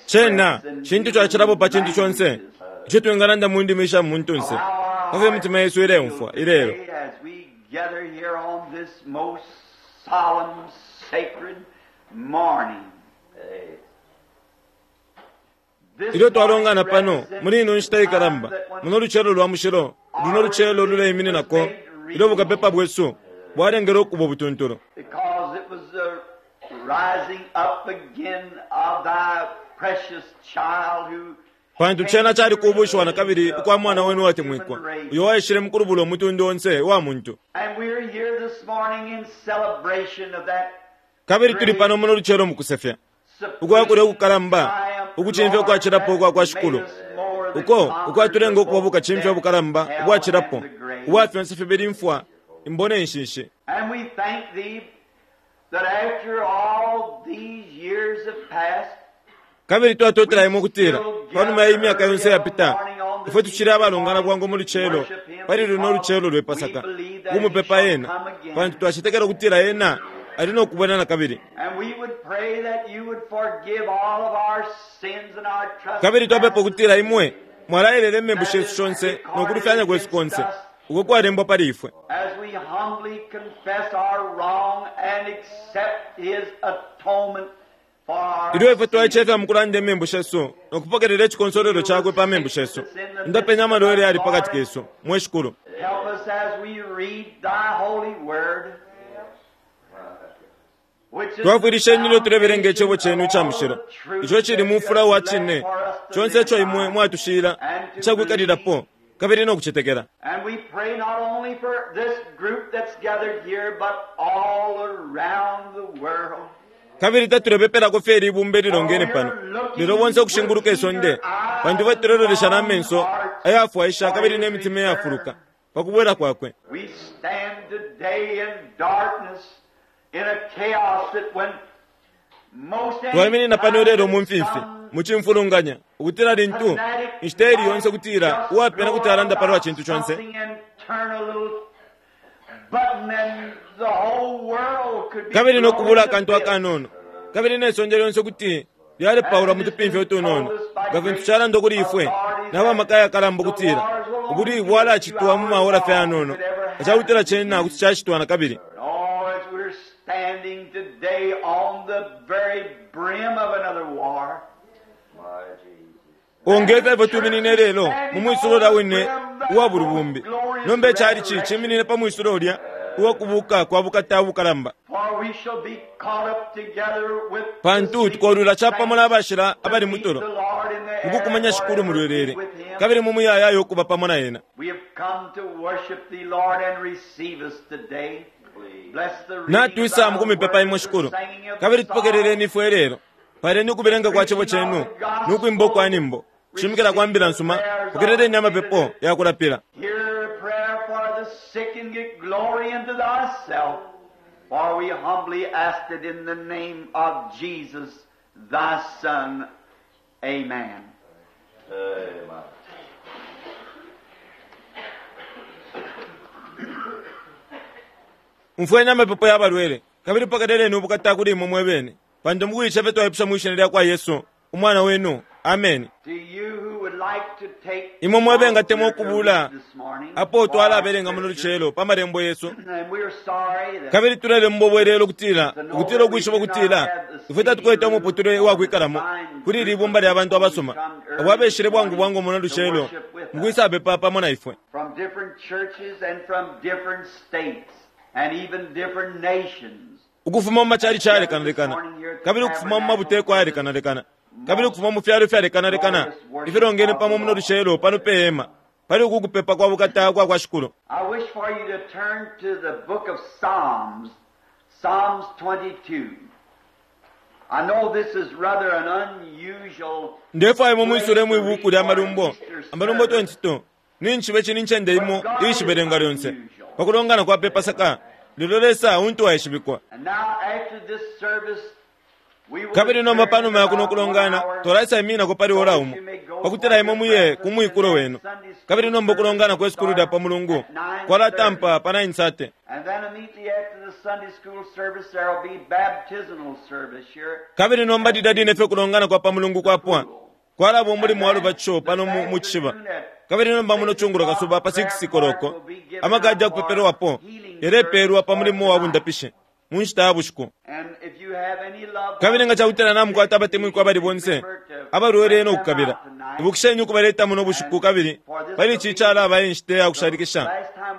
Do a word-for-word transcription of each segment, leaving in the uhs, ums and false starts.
Cena cintu cacilapo pa cintu conse ico twingalanda mu ndimi isha muntunse, pafyo imitima yesu ileumfwa ilelo. Ilyo twalongana pano muli ino nshita ikalamba, muno lucelo lwa mushilo, luno lucelo luleimininako ilyo bukapepa bwesu bwalengele ukuba ubutuntulu. Pantu cena cali kubushiwa na kabili ukwa mwana wenu watemwikwa, uyo waishile mukulubula umutundu onse wa muntu. Kabili tuli pano muno lucelo mukusefya ukwa kulya ukukalamba, ukucimfya ukwacilapo ukwa kwa Shikulu, uko ukwatulenga ukuba bukacimfya ubukalamba ubwacilapo ubwa fyonse fibili imfwa, imbo ne nshishi. Kabili twatotela imwe ukutila panuma ya imyaka yonse yapita, ifwe tucili abalongana bwangu mu lucelo pali luno lucelo lwe Pasaka ukumupepa ena, pantu twacetekela ukutila ena ali no kubwela na kabili. Kabili twapepa ukutila imwe mwalaelele imembu shesu shonse no kulufyanya kwesu konse uko kwalembwa pali ifwe. Ilyo ifwe twaicefya mukulanda imembu shesu no kupokelela icikonsolelo cakwe pa membu shesu, indapenya amalwele yali pakati kesu, mwe Shikulu. Twafwilisheni ilyo tulebelenga icebo cenu ica mushilo, ico cili mufula wa cine conse ico imwe mwatushila icakwikalililapo kabili no kucetekela. Kabili tatulepepelako fye ibumba ililongene pano, lelo bonse ukushinguluka isonde, pantu batulelolesha na menso ayafwaisha kabili ne mitima iyafuluka pa kubwela kwakwe. Twaiminina pano lelo mu mfimfi mu cimfulunganya, ukutila lintu inshita ili yonse kutila uwapena kuti alanda palwa cintu conse, kabili no kubula akantu akanono, kabili ne sonde lyonse kuti lyalepaulwa mu tupimfya utunono, nga fintu calanda kuli ifwe nabamaka ayakalamba ukutila ubulwi bwalacitwa mu maora fye ayanono, nga cena kuti cacitwa na kabili. Ongefya ifwe tuminine lelo mu mwisulo lya wine uwa bulubumbi, nomba icali ci ciminine pa mwisulo ulya uwa kubuka kwa bukata ubukalamba, pantu tukolula capamo n'abashila abali mutulo mukukumanya Shikulu mu lwelele, kabili mu muyayaya ukuba pamo na ena. Natwisa mukumipepa imwe Shikulu, kabili tupokeleleni ifwe lelo. Paleni ukubelenga kwa cebo cenu nukwimba ukwa nyimbo, kushimikila kwa mbila nsuma, pokeleleni amapepo ya kulapila. For we humbly ask it in the name of Jesus, thy Son. Amen. Amen. Umfweni amapepo ya balwele, kabili pokeleleni ubukata kuli imwe mwebene, pantu mukuicefe twaipusha mwi shina lya kwa Yesu, umwana wenu. Amen. Imwe mwebe ngatemwa ukubula apo twalabelenga muno lucelo pa malembo yesu, kabili tulelemba ubwelelo ukutila ukutila ukwishiba ukutila ifwe tatukwete umuputule uwakwikalamo kuli ili ibumba lya bantu abasoma abo abeshile bwangu bwangu muno lucelo mukwisapepa pamo na ifwe. Ukufuma mu macali calekanalekana, kabili ukufuma mu mabuteko ayalekanalekana, kabili ukufuma mu fyalo ifyalekanalekana ifilongene pamo muno lucelo pano pe hema pali uku kupepa kwa bukata kwa kwa Shikulu. I wish for you to turn to the book of Psalms, Psalms twenty-two. I know this is rather an unusual. Ndefwaye mu mwisule mu ibuku lya malumbo, amalumbo twenty-two. Ninchibe chini nchende imo iishibelenga lyonse pakulongana kwa pe Pasaka, lelo Lesa untu waishibikwa. And now after this service, We will Kabili nomba adjourn panuma ya kuno about one kulongana hour twalaisa iminako pali ora umo pakutila imwe muye ku mwikulo wenu. Kabili nomba ukulongana kwe sukulu lya pa mulungu kwalatampa pa nine thirty. And then immediately after the Sunday school service, there will be baptismal service here. Kabili nomba didadine fye kulongana kwa pa mulungu kwapwa kwalaba umulimu wa lubatisho pano mu mu cishiba. Kabili nomba muno chungulo kasuba pa six koloko amakadi akupeperwapo yalepeelwa pa mulimu wa bundapishe mu nshita ya bushiku. And if you have any loved Kabili nga ones, cakutila namukwata abatemwikwa abali bonse abalwele nokukabila, ibukisheni ukubaleta muno bushiku. Kabili pali ici calaba inshita ya kushalikisha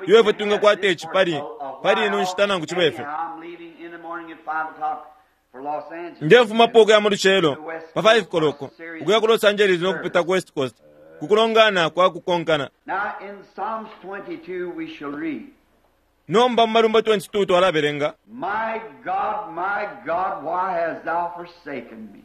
iyo ifwe twingakwata ici pali pali ino nshita nangu cibe ifyo. Anyhow, I'm leaving in the morning at five o'clock for Los Angeles. Ndefumapo ukuya mu lucelo pa five koloko ukuya ku Los Angeles nokupita ku West Coast kukulongana kwa kukonkana. Now in Psalms twenty-two we shall read, Nomba mu Malumbo twenty-two twalabelenga, My God, my God, why hast thou forsaken me?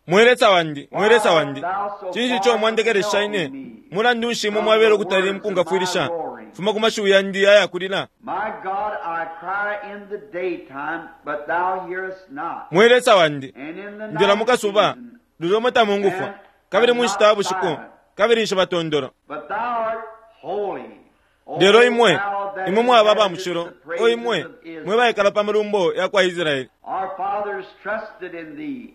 Mwe Lesa wandi, mwe Lesa wandi, cinshi ico mwandekelesha ine? Mulandu nshi imwe mwabela ukutali mukungafwilisha fuma ku mashiwi yandi ayakulila? My God, I cry in the daytime, but thou hearest not. Mwe Lesa wandi, And in the ndila night mukasuba season, lulyo tamungufwa, kabili mu nshita ya bushiku kabili nshibatondolo. but thou art holy. O Lelo imwe thou that imwe mwaba aba inhabitest mushilo, the o praises imwe of Israel. mwe baikala pa malumbo ya kwa Israeli. Our fathers trusted in thee.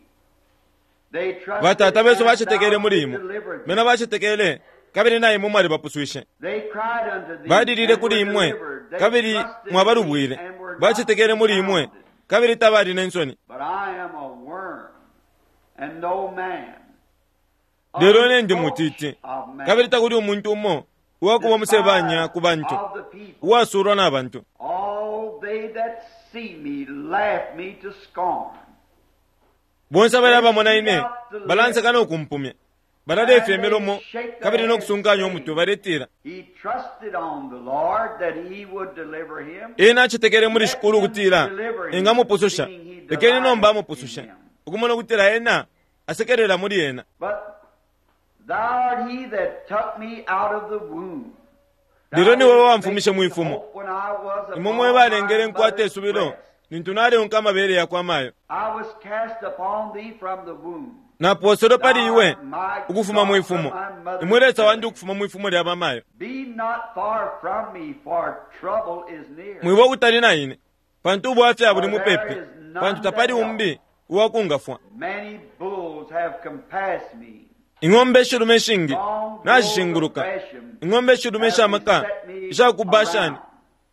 They trusted Batata besu and bacetekele thou muli imwe, delivered them. bena bacetekele kabili na imwe mwalibapuswishe. They cried unto thee Balilile and kuli were imwe delivered. They kabili trusted in mwabalubwile. thee and were not Bacetekele muli imwe confounded. kabili tabali ne nsoni. But I am a worm and no man. Lelo ine ndi mutiti Of man. kabili takuli umuntu umo uwakuba umusebanya ku bantu, Of the people. uwasulwa na bantu. All they that see me laugh me to scorn. Bonse abali abamona ine balanseka nokumpumya, balalefya imilomo kabili nokusunkanya umutwe baletila, He trusted on the Lord that he would deliver him. ena acetekele muli Shikulu ukutila engamupususha, lekeni nomba amupusushe, ukumona ukutila ena asekelela muli ena. But thou art he that took me out of the womb. Thou Lelo ni wewe didst wamfumishe make me mwifumo. hope when I was Imwe upon mwe balengele my nkwate mother's isubilo breast. lintu naleunka amabele yakwa mayo. I was cast upon thee from the womb. Naposelwe pali iwe ukufuma mwifumo, imwe Lesa wandi ukufuma mwifumo lya bamayo. Be not far from me, for trouble is near. Mwiba ukutali na ine, pantu ubwafya buli mupepi, pantu tapali umbi uwakungafwa. Many bulls have compassed me. Ing'ombe ishilume ishingi Strong bulls of nashishinguluka, Bashan ing'ombe ishilume have ishamaka beset me isha ku Bashani around.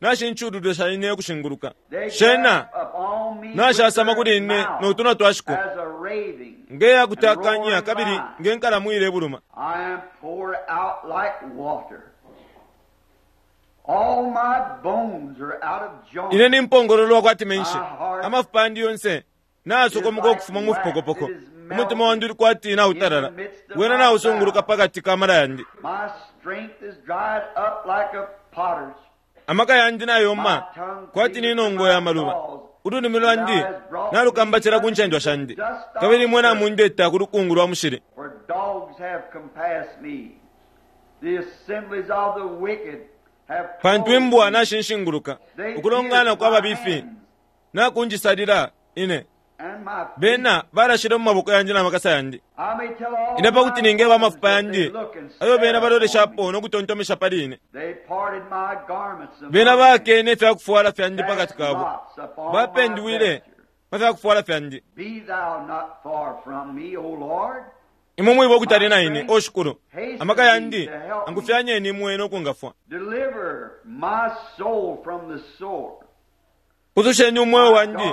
nashinchululwe sha ine ukushinguluka. They Shena grasp upon me with nashasama their kuli ine mouth notunwa twashiko as a raving ngeya and kutakanya roaring kabili lion. nge nkalamu ilebuluma. I am poured out like water. All my bones are out of joint. Ine nimpongololwa kwati menshi, amafupa andi yonse nasokomoka ukufuma mu fipokopoko. Umutima wandi uli kwati nautalala, wena nausunguluka pakati ka mala yandi. My strength is dried up like a potter's. Amaka yandi nayoma kwati ni nongo ya maluba. Ululimi lwandi nalukambatila ku ncendwa shandi, kabili imwe namundeta ku lukungu lwa mushili. For dogs have compassed me. The assemblies of the wicked have Pantu closed imbwa me. nashinshinguluka, They ukulongana pierced kwa my babifi hands nakunjisalila ine. and my feet. Bena balashile mu maboko yandi na makasa yandi. I may tell all Ine pakuti my ningeba foes amafupa that they yandi look and ayo stare bena upon me. baloleshapo nokutontomesha pali ine. They parted my garments among Bena them, bakene ifyakufwala fyandi pakati cast kabo, lots upon my bapendwile vesture. pa fyakufwala fyandi. Be thou not far from me, O Lord. Imwe mwiba ukutali na ine, o Shikulu, amaka yandi angufyanyeni imwe nokungafwa. Deliver my soul from the sword. Pususheni umweo wandi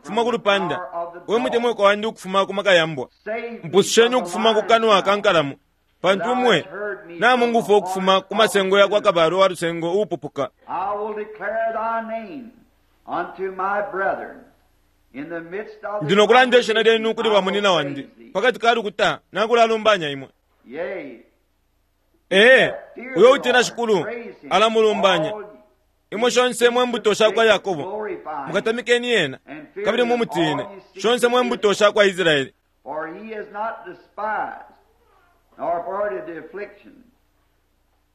kufuma ku lupanda, we mutemwiko wandi ukufuma ku maka ya mbwa. Save me Mpususheni from the ukufuma ku kanwa lion's ka mouth. nkalamu, pantu imwe namungufwa ukufuma ku masengo ya kwa kabalo wa lusengo uupupuka. I will declare thy name unto my brethren. In the midst of the Ndi nokulanda ishina lyenu kuli I will bamunina wandi, praise thee. pakati ka lukuta nakulalumbanya imwe. Yea, Ee, fear uyo the utina Lord, Shikulu praise him. alamulumbanya. All Imwe shonse mwe mbuto sha kwa Yakobo, glorify him. mukatamikeni ena And fear kabili him, mumutine, all ye seeds shonse of mwe mbuto Israel. sha kwa Israeli. For he has not despised, nor abhorred the affliction.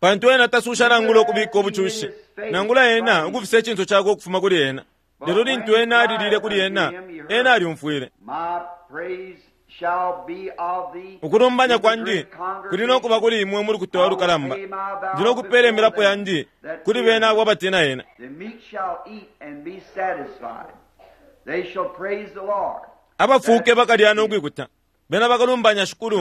Pantu ena tasusha nangula ukubika ubucushi, nangula ena ukufisa icinso cakwe ukufuma kuli ena. Lelo lintu ena alilile kuli ena, ena alyumfwile. My praise shall be of thee Ukulumbanya in the kwandi great kuli no kuba kuli imwe mu lukuta lukalamba. Ndi no kupela imilapo yandi kuli bena abo abatina ena. The meek shall eat and be satisfied. They shall praise the Lord. Abafuke bakalya no kwikuta. Bena bakalumbanya Shikulu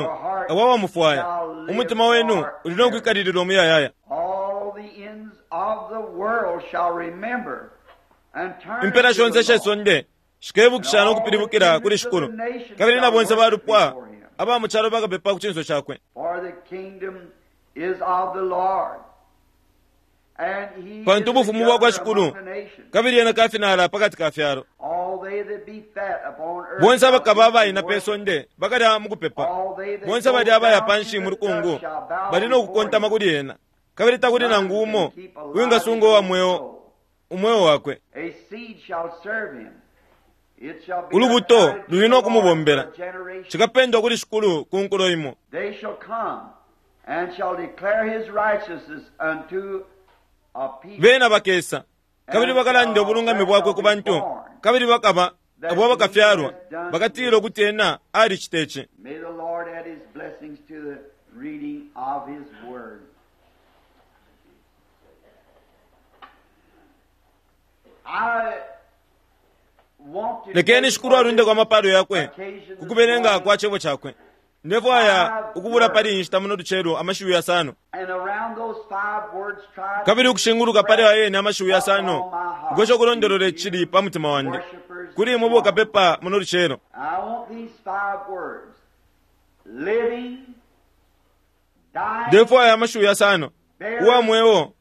abo abamufwaya. Umutima wenu uli no kwikalilila umuyayaya. All the ends of the world shall remember and turn Impela to shonse the ishe Lord. sonde shikebukisha no kupilibukila kuli Shikulu. Kabili na bonse balupwa aba mu calo bakapepa ku cinso cakwe. For the kingdom is of the Lord. And he Pantu is the ubufumu bwa kwa judge Shikulu among the nations. kabili ena kafinala pakati ka fyalo. All they that be fat upon earth Bonse shall abakaba eat and abaina pe worship. sonde bakalya mu kupepa. All they that Bonse go bali abaya down panshi to mu the lukungu dust shall bow bali no before kukontama him. kuli ena. Kabili takuli nangu None umo can keep alive wingasunga his uwa own mweo soul. umweo wakwe. A seed shall serve him. It shall be Ulubuto accounted to luli the no Lord kumubombela. for a generation. Chikapendwa kuli Shikulu ku nkulo imo. They shall come and shall declare his righteousness unto a people. Bena bakesa kabili bakalanda ubulungami bwakwe ku bantu kabili bakaba abo abakafyalwa bakatila ukuti ena alicita ici. May the Lord add his blessings to the reading of his word. I want to Lekeni take Shikulu alundeko amapalo yakwe occasion ku kubelenga this morning kwa cebo cakwe. Ndefwaya ukubula pali inshita muno lucelo amashiwi yasano. and around those five words try to Kabili ukushinguluka pali ayene amashiwi yasano ngwesha ukulondolola icili pa mutima wandi kuli imwe bokapepa muno lucelo. I want these five words. Living, dying, Ndefwaya amashiwi yasano uwa mweo,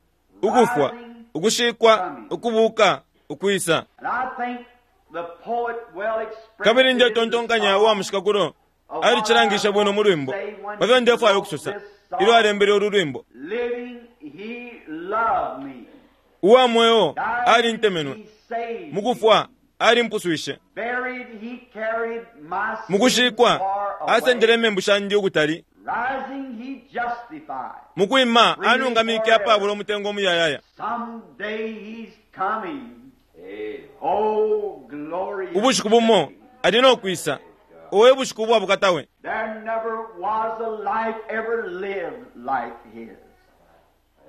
ukufwa, ukushikwa, ukubuka, ukwisa. and I think the poet well expressed Kabili it in the ndetontonkanya song uwa mushikakulo alicilangisha bwino mu lwimbo pafyo ndefwaya ukusosa ilyo alembele ulu lwimbo. Living, he loved me. Uwa mweo Dying, alintemenwe, he saved me. mukufwa alimpuswishe, Buried, he carried my sins mukushikwa far away. asendele imembu shandi ukutali, Rising, he justified. mukwima anungamike apabula umutengo umuyayaya. Someday he's coming. Amen. Oh, glorious. Ubushiku bumo day. ali no kwisa, owe bushiku bwa bukatawe. There never was a life ever lived like his.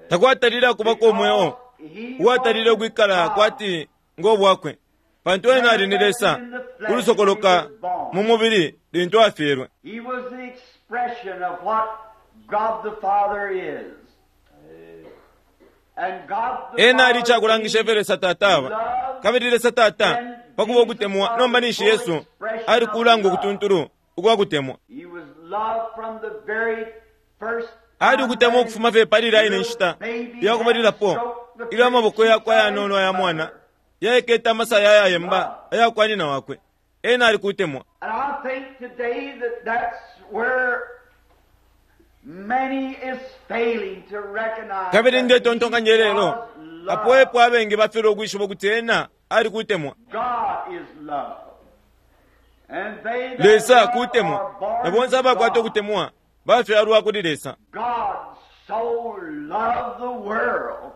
Takwatalile akubako umweo He uwatalile was ukwikala God. kwati ngo bwakwe, pantu ena ali ni Lesa ulusokoloka mu mubili lintu afyelwe. He was the expression of what God the Father is. And God the Ena ali Father icakulangisha ifyo Lesa Tata aba. Kabili Lesa Tata pakuba ukutemwa nomba ninshi Yesu ali kulanga ukutuntulu ukwa kutemwa. He was loved from the very first Ali ukutemwa ukufuma fye pali ilya ine nshita yakubalilapo ilyo amaboko yakwe ayanono aya mwana yaikete amasaya ayayemba ayakwa nyina wakwe. Ena ali kutemwa. And I think today that that's where many is failing to recognize Kabili that ndetontonkanya he lelo was love. apo epo abengi bafilwa ukwishiba ukuti ena ali kutemwa. God is love. And they that Lesa love kutemwa are born na bonse of abakwata God. ukutemwa bafyalwa kuli Lesa. God so loved the world.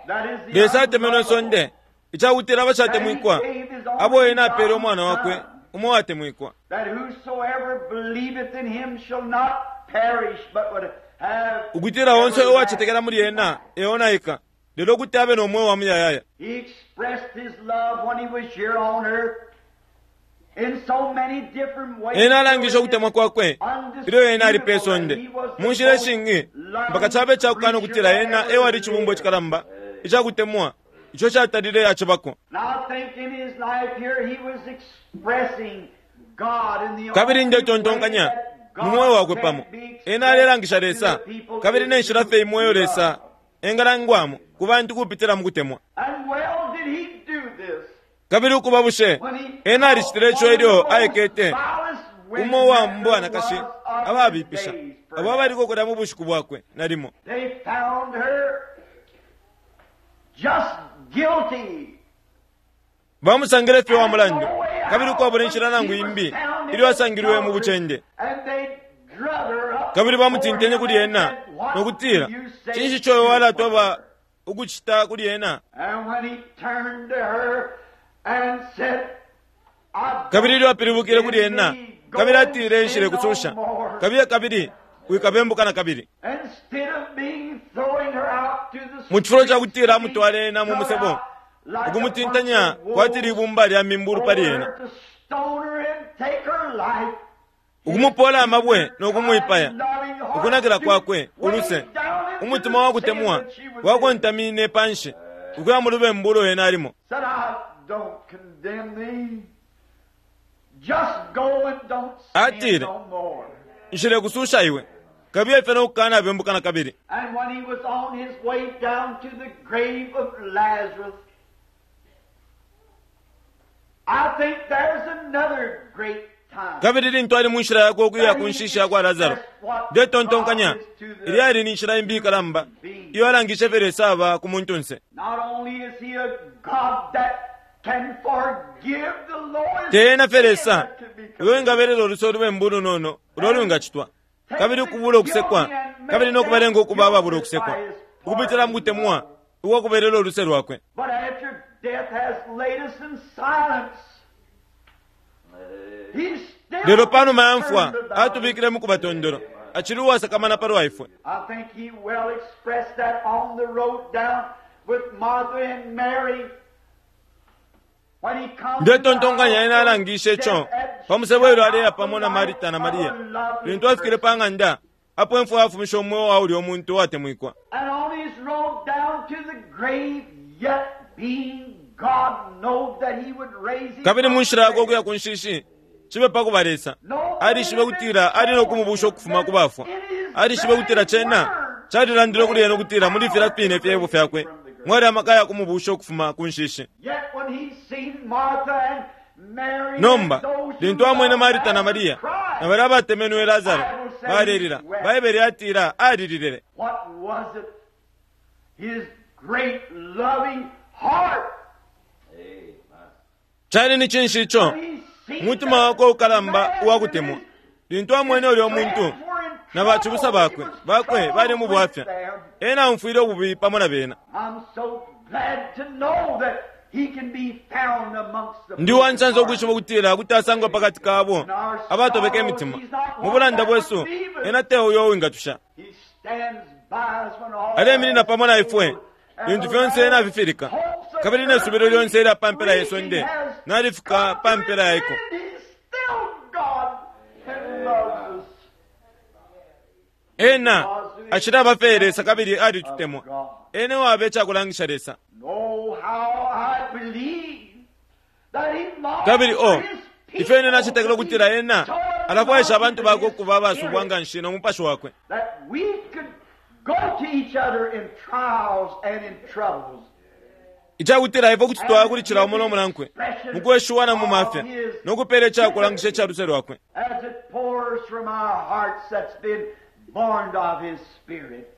That is the Lesa atemenwe unlovable. isonde icakutila abashatemwikwa abo ena apele umwana wakwe umo watemwikwa That whosoever believeth in him shall not perish but would have ukutila onse uwacetekela muli ena eonaika lelo kuti abe no mweo wa muyayaya. He expressed his love when he was here on earth in so many different ways. Ena alangisha ukutemwa kwakwe ilyo ena ali pe sonde mu nshila ishingi mpaka cabe cakukana ukutila ena ewali icibumbo icikalamba icakutemwa ico catalile acibako. And I think in his life here he was expressing God in the Kabili only ndetontonkanya way that God mu mweo wakwe can pamo be expressed ena alelangisha Lesa to the people kabili ne nshila fye imweyo Lesa engalangwamo ku bantu kupitila mu kutemwa. And well did he do this Kabili ukuba bushe when he ena alicitile ico ilyo aikete vilest umo wa women mbwanakashi that there was of ababipisha his days, abo abaliko kulya mu bushiku bwakwe nalimo. They found her just guilty. Bamusangile fye wa mulandu kabili ukwabula inshila nangu imbi ilyo asangilwe mu bucende. And they drug her up Kabili bamutintenye kuli ena nokutila, cinshi ico walatweba Ukucita kuli ena. And when he turned to her and said, I Kabili ilyo apilibukile kuli ena, kabili atile nshile kususha. Kabili kabili wikabembuka na kabili. Instead of being throwing her out to the Mu cifulo ca kutila amutwale ena mu musebo, like ukumutintanya a bunch of kwati libumba lya mimbulu pali ena, wolves, to stone her and take her life. ukumupola amabwe no kumwipaya. Ukunakila kwakwe uluse, umutima wa kutemwa wakontamine panshi ukuya mu lubembu ulo ena alimo. Said, I don't condemn thee. Just go and don't sin Atile. no more. Nshile kususha iwe, kabili fye no kukanabembuka na kabili. And when he was on his way down to the grave of Lazarus, I think there's another great time. Kabili lintu ali mu nshila yakwe ukuya ku nshishi ya kwa Lazaro, ndetontonkanya ilyali ni nshila imbi ikalamba iyo alangishe fye Lesa aba ku muntunse. Not only is he a God that can forgive the lowest Te ena fye sin Lesa that can be uyo committed. engabelela uluse ulubembu ulunono ulo lwingacitwa, kabili ukubula ukusekwa, kabili no kubalenga ukuba ababula ukusekwa ukupitila mu kutemwa ukwakubelela uluse lwakwe. But after death has laid us in silence, he's still Lelo panuma ya mfwa concerned about us. atubikile mu kubatondolo, acili uwasakamana palwa ifwe. I think he well expressed that on the road down with Martha and Mary. When he comes Ndetontonkanya ena alangishe ico pa musebo ilyo aleya pamo na Marita na Maria, lintu afikile pa ng'anda apo imfwa yafumisha umweo wa ulya umuntu uwatemwikwa. And on his road down to the grave, yet being God, know that he would raise him Kabili mu from nshila the yakwe ukuya dead. ku nshishi, cibe pa kuba Lesa, alishibe kutila ali no kumubusha ukufuma ku bafwa. Alishibe kutila cena calilandile kuli ena ukutila muli filya fine fyebo fyakwe mwali amaka ya kumubusha ukufuma ku nshishi. Yet when he seen Martha and Mary Nomba and those who lintu amwene loved Marita na Lazarus Maria cry, na balya abatemenwe Lazaro balelila, Baibele yatila alililele. What was it? His great loving heart. Amen. Cali ni cinshi ico? He seen Umutima that wakwe ukalamba man uwakutemwa. and his Lintu amwene ulya muntu friends were in na bacibusa trouble, bakwe he was bakwe bali mu troubled with bwafya, them. ena amfwile ububi pamo na bena. I'm so glad to know that he can be found amongst the Ndi wansansa ukwishiba ukutila kuti asangwa pakati kabo abatobeka imitima. Mu bulanda bwesu ena te uyo uwingatusha. He stands by us when all Aleminina pamo na ifwe lintu fyonse ena afifilika, kabili ne subilo lyonse ilya pa mpela ye sonde nalifika pa mpela yaiko. He's still God and loves us. Ena acili abafe Lesa kabili alitutemwa. Ena wabe icakulangisha Lesa. Oh, how I believe that he longs Kabili o for his people ifyo ine nacetekela ukutila ena so alafwaisha abantu bakwe anointed ukuba with his abasubwa spirit nga nshi no mupashi wakwe, that we could go to each other in trials and in troubles. icakutila ifwe kuti twaya kuli cila umo no munankwe mukweshuwa na mu mafya no kupela icakulangisha ica luse lwakwe, As it pours from our hearts that's been born of His Spirit,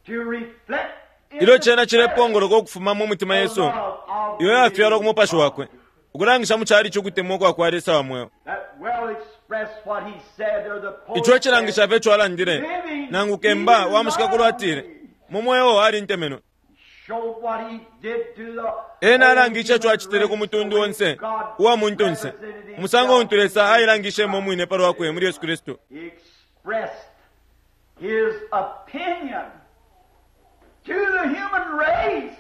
to reflect in ilyo the cena cilepongoloka ukufuma mu mutima the yesu love of iyo the yafyalwa ku living mupashi God. wakwe, ukulangisha mu cali cukutemwa kwa kwa Lesa wa mweo. That well expressed what he said, or the poet Ico cilangisha said, fye ico alandile, nangu kemba wa mushikakulo atile mu mweo alintemenwe. showed what he did to the Ena alangishe ico acitile ku mutundu onse uwa muntunse, umusango untu Lesa ailangishemo umwine pa lwakwe muli Yesu Kristu. He expressed his opinion to the human race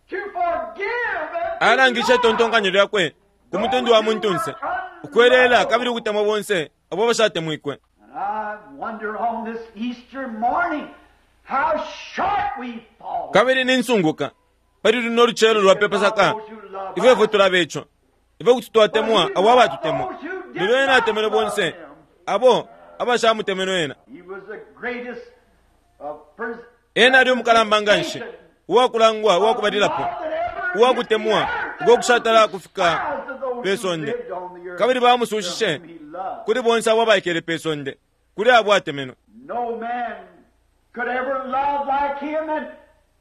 to forgive and to Alangishe love. itontonkanyo lyakwe ku mutundu wa muntunse, ukwelela kabili ukutemwa bonse abo bashatemwikwe. And I wonder on this Easter morning how short we fall. Kabili ninsunguka pali luno lucelo lwa pe Pasaka, ifwe ifwe tulaba ico, ifwe kuti twatemwa abo abatutemwa, lelo ena atemenwe bonse abo abashamutemenwe ena. He was the greatest of pers- Ena ali umukalamba nga nshi, uwakulangwa uwakubalilapo, uwakutemwa uko kushatala kufika pe sonde, kabili bamusushishe kuli bonse abo abaikele pe sonde, kuli abo atemenwe. No man could ever love like him, and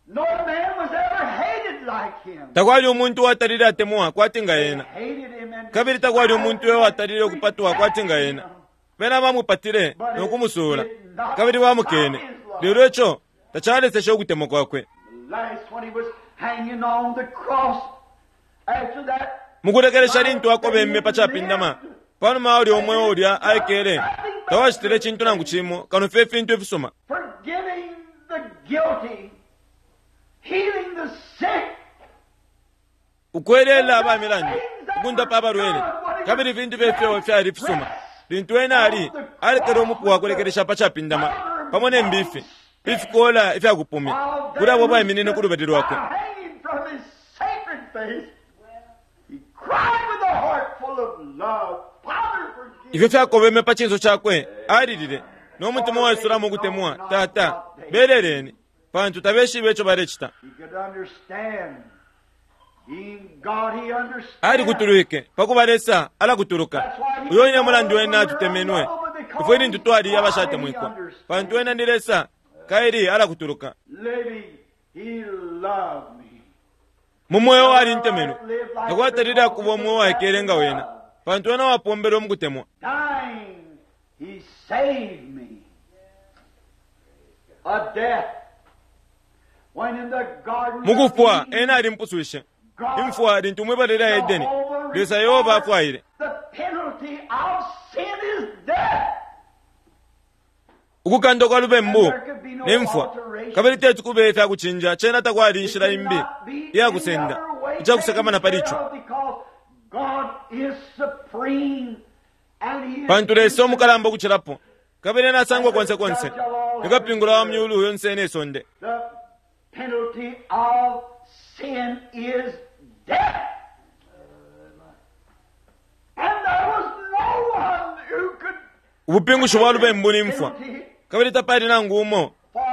no man was ever hated like him. Takwali umuntu uwatalile atemwa kwati nga ena, Hated him and kabili takwali umuntu uyo watalile ukupatwa kwati nga ena. Bena bamupatile no kumusuula, kabili bamukene, lelo ico tacaleseshe ukutemwa kwakwe. The last, when he was hanging on the cross, after that, Mukulekelesha lintu akobemme pa capindama, panuma ulya umweo ulya aikele, tawacitile cintu nangu cimo kano fye ifintu ifisuma, forgiving the guilty, healing the sick, ukwelela aba milandu, ukundapa abalwele, kabili ifintu fyefyo fyali ifisuma. Lintu ena ali alekele umupu wakulekelesha pa capindama pamo ne mbifi, ifikola ifyakupumya kuli abo baiminine ku lubali lwakwe. hanging from his sacred face, he cried with a heart full of love, Father, forgive Ifyo fyakobeme pa cinso cakwe, alilile no mutima waisulamo ukutemwa, Tata, beleleni, pantu tabeshibe ico balecita. He could understand. Being God, he understood. Alikutulwike pakuba Lesa alakutuluka. Uyo ine mulandu ena atutemenwe, ifwe ilintu twali abashatemwikwa, pantu ena ni Lesa kaili alakutuluka. Living, he loved me. Mu mweo alintemenwe, takwatalile akuba umweo waikele nga wena, pantu ena wapombelwe mukutemwa. Dying, he saved me. A death. When in the garden of Mukufwa Eden, ena alimpuswishe imfwa lintu mwibala lya Edeni, Lesa Yehova afwaile. The penalty of sin is death. Ukukandwa kwa lubembu ne mfwa, kabili tetu kube ifyakucinja cena takwali inshila imbi iyakusenda icakusakamana pali ico, pantu Lesa umukalamba ukucilapo, kabili ena asangwa konse konse, nikapingula wa myulu yonse ne sonde. The penalty of sin is death. And there was no one who could Ubupingushi bwa lubembu ni mfwa, kabili tapali nangu umo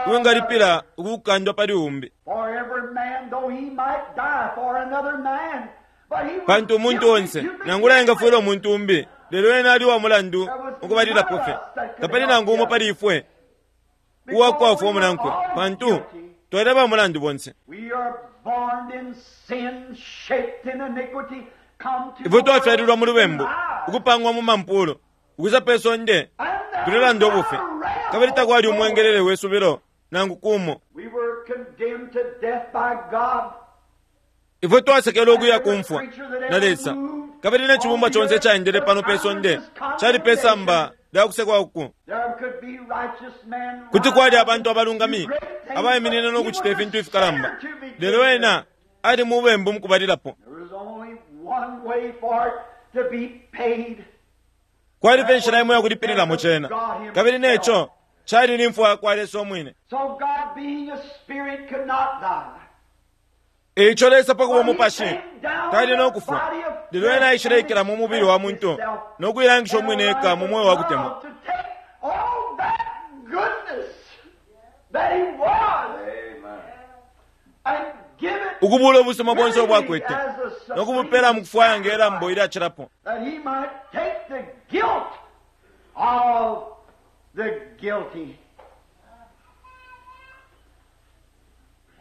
uwingalipila ukukandwa pali umbi, for every man, though he might die for another man. But he was pantu umuntu guilty onse to begin nangula engafwila with. umuntu umbi, lelo ena ali wa mulandu ukubalilapo fye. Tapali nangu umo pali ifwe uwakwafwa umunankwe, pantu twali aba mulandu bonse. We are born in sin, shaped in iniquity, come to Ifwe the world twafyalilwa mu lubembu, in lies. ukupangwa mu mampulo, ukwisa pe sonde And there tulelanda was ubufi, not a ram kabili takwali on umwengelele we subilo nangu kumo. We were condemned to death by God. Ifwe twasekele ukuya kumfwa na Lesa, kabili ne cibumbwa conse icaendele pano pe sonde cali pe samba lya kusekwa uku. There could be righteous men Kuti kwali abantu abalungami abaiminine no kucita ifintu ifikalamba, lelo ena ali mu bembu mukubalilapo. There was only one way for it to be paid. Kwali fye inshila imo yakulipililamo cena, kabili neco cali ni mfwa yakwa Lesa umwine. So God being a spirit could not die. Eico Lesa pakuba umupashi tali no kufwa, lelo ena aishile mu mubili wa muntu no kuilangisha umwine eka mu mweo wa kutemwa, To take all that goodness that he was Amen. and give it ukubula ubusuma bonse ubwakwete no kubupela mu kufwaya nge lambo ilyacilapo, that he might take the guilt of the guilty.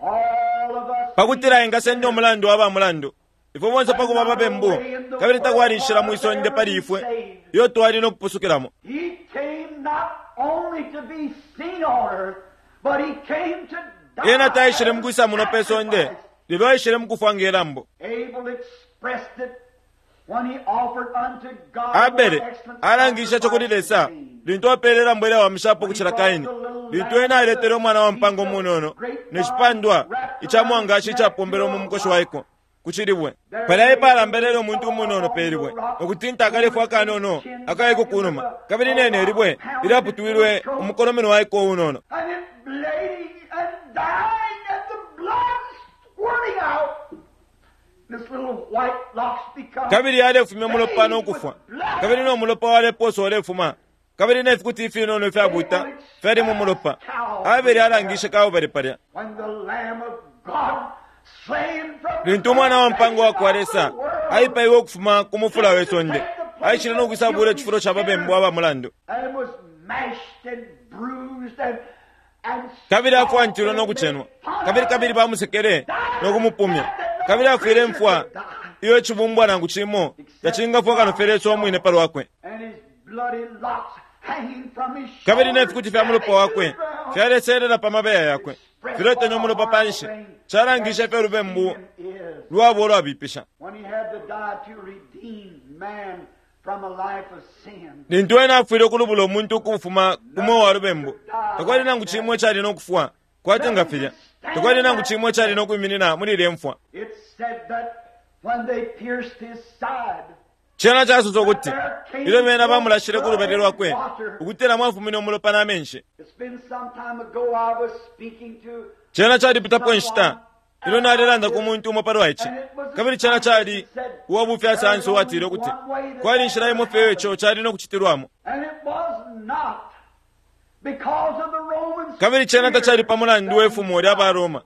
All of us pakutila engasenda umulandu wa ba mulandu. Ifwe bonse pakuba babembu, kabili takwali inshila mwi sonde pali ifwe iyo twali no kupusukilamo. He came not only to be seen on earth, but he came to die. Ena taishile mukwisa muno pe sonde, lelo aishile mukufwa nge lambo. Abel expressed it when he offered unto God Abele more excellent alangisha ico kuli sacrifice Lesa than Cain. lintu apeele ilambo ilyawamishapo kucila Kaini, lintu ena aletele umwana wa mpanga umunono ne cipandwa ica mwangashi icapombelwe mu mukoshi waiko ku cilibwe. Palya epalambelele umuntu umunono pe libwe, ukutinta akalefu akanono akaiko kunuma, kabili nene ilibwe ilyaputwilwe umukolomeno waiko unono. And it bleeding and dying and the blood squirting out. This little white locks become Kabili yalefumya umulopa no kufwa, kabili no mulopa walepooswa ulefuma, kabili ne fikuti ifinono ifyabuta fyali mu mulopa. Abele alangishe Kalbale palya when the Lamb of God slain from lintu umwana wa mpango wa kwa Lesa aipaiwe ukufuma ku mufula we sonde, aishile no kwisabula icifulo ca babembu aba mulandu, and was mashed and bruised and and kabili afwantilwe no kucenwa, kabili kabili bamusekele no kumupumya, kabili afwile mfwa iyo icibumbwa nangu cimo tacingafwa kano fye Lesa umwine pa lwakwe. and his bloody locks hanging from his Kabili ne shoulders fikuti fya mulopa wakwe fyaleselela pa mabeya yakwe, filetenya umulopa panshi, calangishe ifyo lubembu lwabo ulwabipisha. When he had to die to redeem man from a life of sin. Lintu ena afwile ukulubula umuntu ukufuma ku mweo wa lubembu, takwali nangu cimo icali no kufwa kwati nga filya, takwali nangu cimo icali no kwiminina muli ilya mfwa. It said that when they pierced his side, Cena casosa ukuti ilyo bena bamulashile ku lubali lwakwe, ukutila mwafumine umulopa na menshi. it's been some time ago I was speaking to Cena calipitapo inshita ilyo nalelanda ku muntu umo palwa ici, kabili cena cali uwa sayansi uwatile ukuti kwali inshila imo fye ico cali no kucitilwamo, and it was not because of the Roman kabili cena tacali pa mulandu we fumo lya baRoma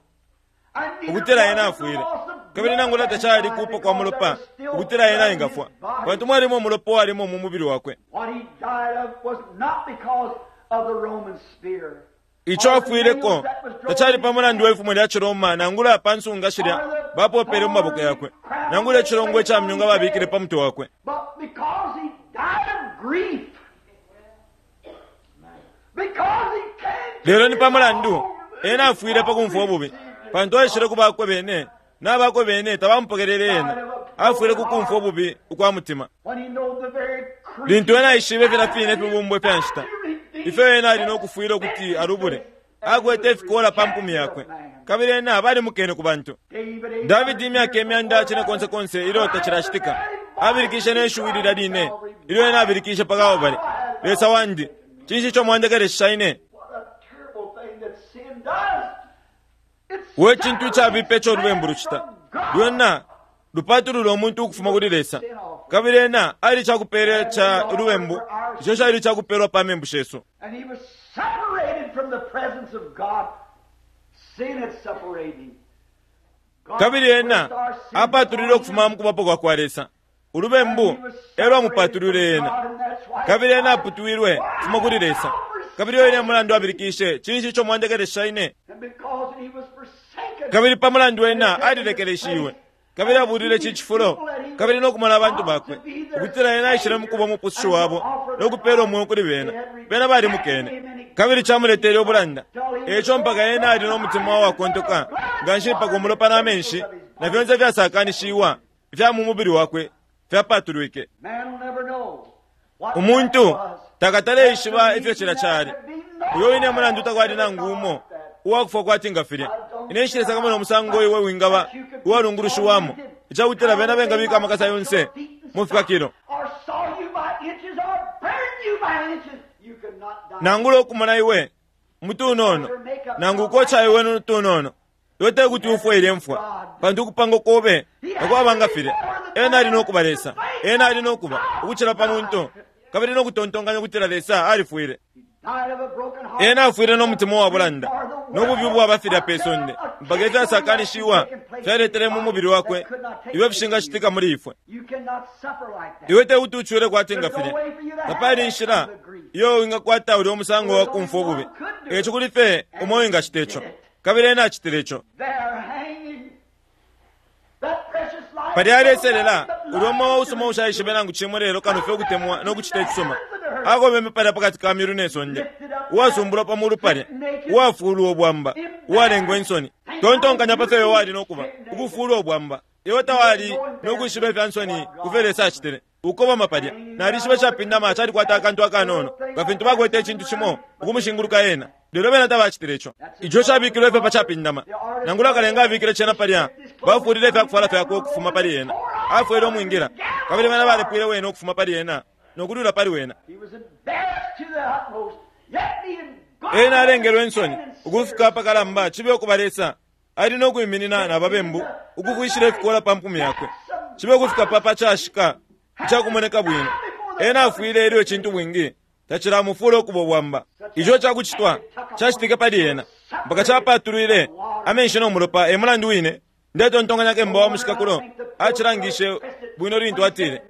and neither ukutila ena was it the afwile, loss of kabili nangula tacali kupa kwa mulopa ukutila ena engafwa, pantu mwalimo umulopa uwalimo mu mubili wakwe. What he died of was not because of the Roman spear. Ico afwileko tacali pa mulandu we fumo lya Ciroma, nangula pa nsunga shilya bapopele mu maboko yakwe, nangula icilongwe ca myunga babikile pa mutwe wakwe, But because he died of grief. Because he came to lelo ni pa mulandu ena afwile pa kumfwa ububi, pantu aishile ku bakwe bene, n'abakwe bene tabamupokelele ena. Afwile ku kumfwa ububi ukwa mutima. when he knew the very Lintu ena aishibe filya fine ifibumbwa fya nshita ifyo ena ali no kufwila ukuti alubule, akwete ifikola pa mpumi yakwe, kabili ena balimukene ku bantu. David Davidi imyaka imyanda cine konse konse ilyo tacilacitika abilikishe ne shiwi lilya line ilyo ena abilikishe pa Kalbale, Lesa wandi, cinshi ico mwandekelesha ine? What a terrible thing that sin does. It's We cintu icabipa ico lubembu lucita, lwena lupatulula umuntu ukufuma kuli Lesa, kabili ena ali cakupela ca lubembu ico cali cakupelwa pa membu shesu. And he was separated from the presence of God. Sin had separated him. God Kabili ena placed our sin apatulile ukufuma mu kubapo kwa kwa Lesa, ulubembu e lwamupatulile ena, kabili ena aputwilwe kufuma kuli Lesa, kabili oyo ine mulandu abilikishe, cinshi ico mwandekelesha ine? And because he was forsaken, Kabili pa mulandu ena alilekeleshiwe, kabili abulile ici cifulo, kabili no kumona abantu bakwe ukutila ena aishile mu kuba umupusushi wabo no kupela umweo kuli bena. Bena balimukene, kabili camuletele ubulanda. Eco mpaka ena ali no mutima uwakontoka nga nshi mpaka umulopa na menshi na fyonse fyasakanishiwa ifya mu mubili wakwe fyapatulwike. man will never know what Umuntu that was. takataleishiba ifyo cila cali. Uyo wine mulandu takwali nangu umo uwakufwa kwati nga filya. Ine nshilesakamana umusango iwe wingaba uwalungulushiwamo icakutila bena bengabika amakasa yonse mu fikakilo, Or saw you by inches or burn you by inches. You could not die. nangula okumona iwe mutunono, nangu ukocha iwe nutunono, iwe tekuti ufwe ilye mfwa, pantu ukupanga kobe takwaba nga filya. Ena ali nokuba Lesa, ena ali nokuba ukucila pa muntu, kabili nokutontonkanya ukutila Lesa alifwile. Died of a broken heart. Ena afwile n'omutima wa bulanda n'obubi bwaba filya pe sonde, mpaka ifyasakanishiwa fyaletele mu mubili wakwe iwe fishingacitika muli ifwe. You cannot suffer like that. Iwe tekuti ucule kwati nga filya, tapali inshila iyo wingakwata ulya umusango wa kumfwa ububi. Eco kuli fye umo wingacita ico, kabili ena acitile ico. There hanging that precious life. Palya aleselela ulya umwe usuma ushaishibe nangu cimo lelo kano fye ukutemwa no kucita icisuma, akobeme palya pakati ka myulu ne sonde, uwasumbulwa pa mulu palya, uwafulwa ubwamba, uwalengwa insoni. Tontonkanya pa fyo iwe wali nokuba ukufulwa ubwamba, iwe tawali nokwishiba ifya nsoni kufyo Lesa acitile. Ukobama palya nalishiba icapindama calikwata akantu akanono nga fintu bakwete icintu cimo ukumushinguluka ena, lelo bena tabacitile ico. Ico cabikilwe fye pa capindama, nangula akalenga abikile cena palya, bafulile ifyakufwala fyakwe ukufuma pali ena, afwele umwingila, kabili bena balepwile wena ukufuma pali ena nokulula pali wena. He was embarrassed to the utmost. Yet being God Ena alengelwe insoni ukufika apakalamba cibe ukuba Lesa ali no kwiminina na babembu ukufwishila ifikola pa mpumi yakwe, cibe ukufika pa pacashika icakumoneka bwino. Ena afwile ilyo icintu bwingi tacilamufula ukuba ubwamba. Ico cakucitwa cacitike pali ena mpaka capatulwile amenshi no mulopa. E mulandu wine ndetontonkanya kemba wa mushikakulo acilangishe bwino lintu atile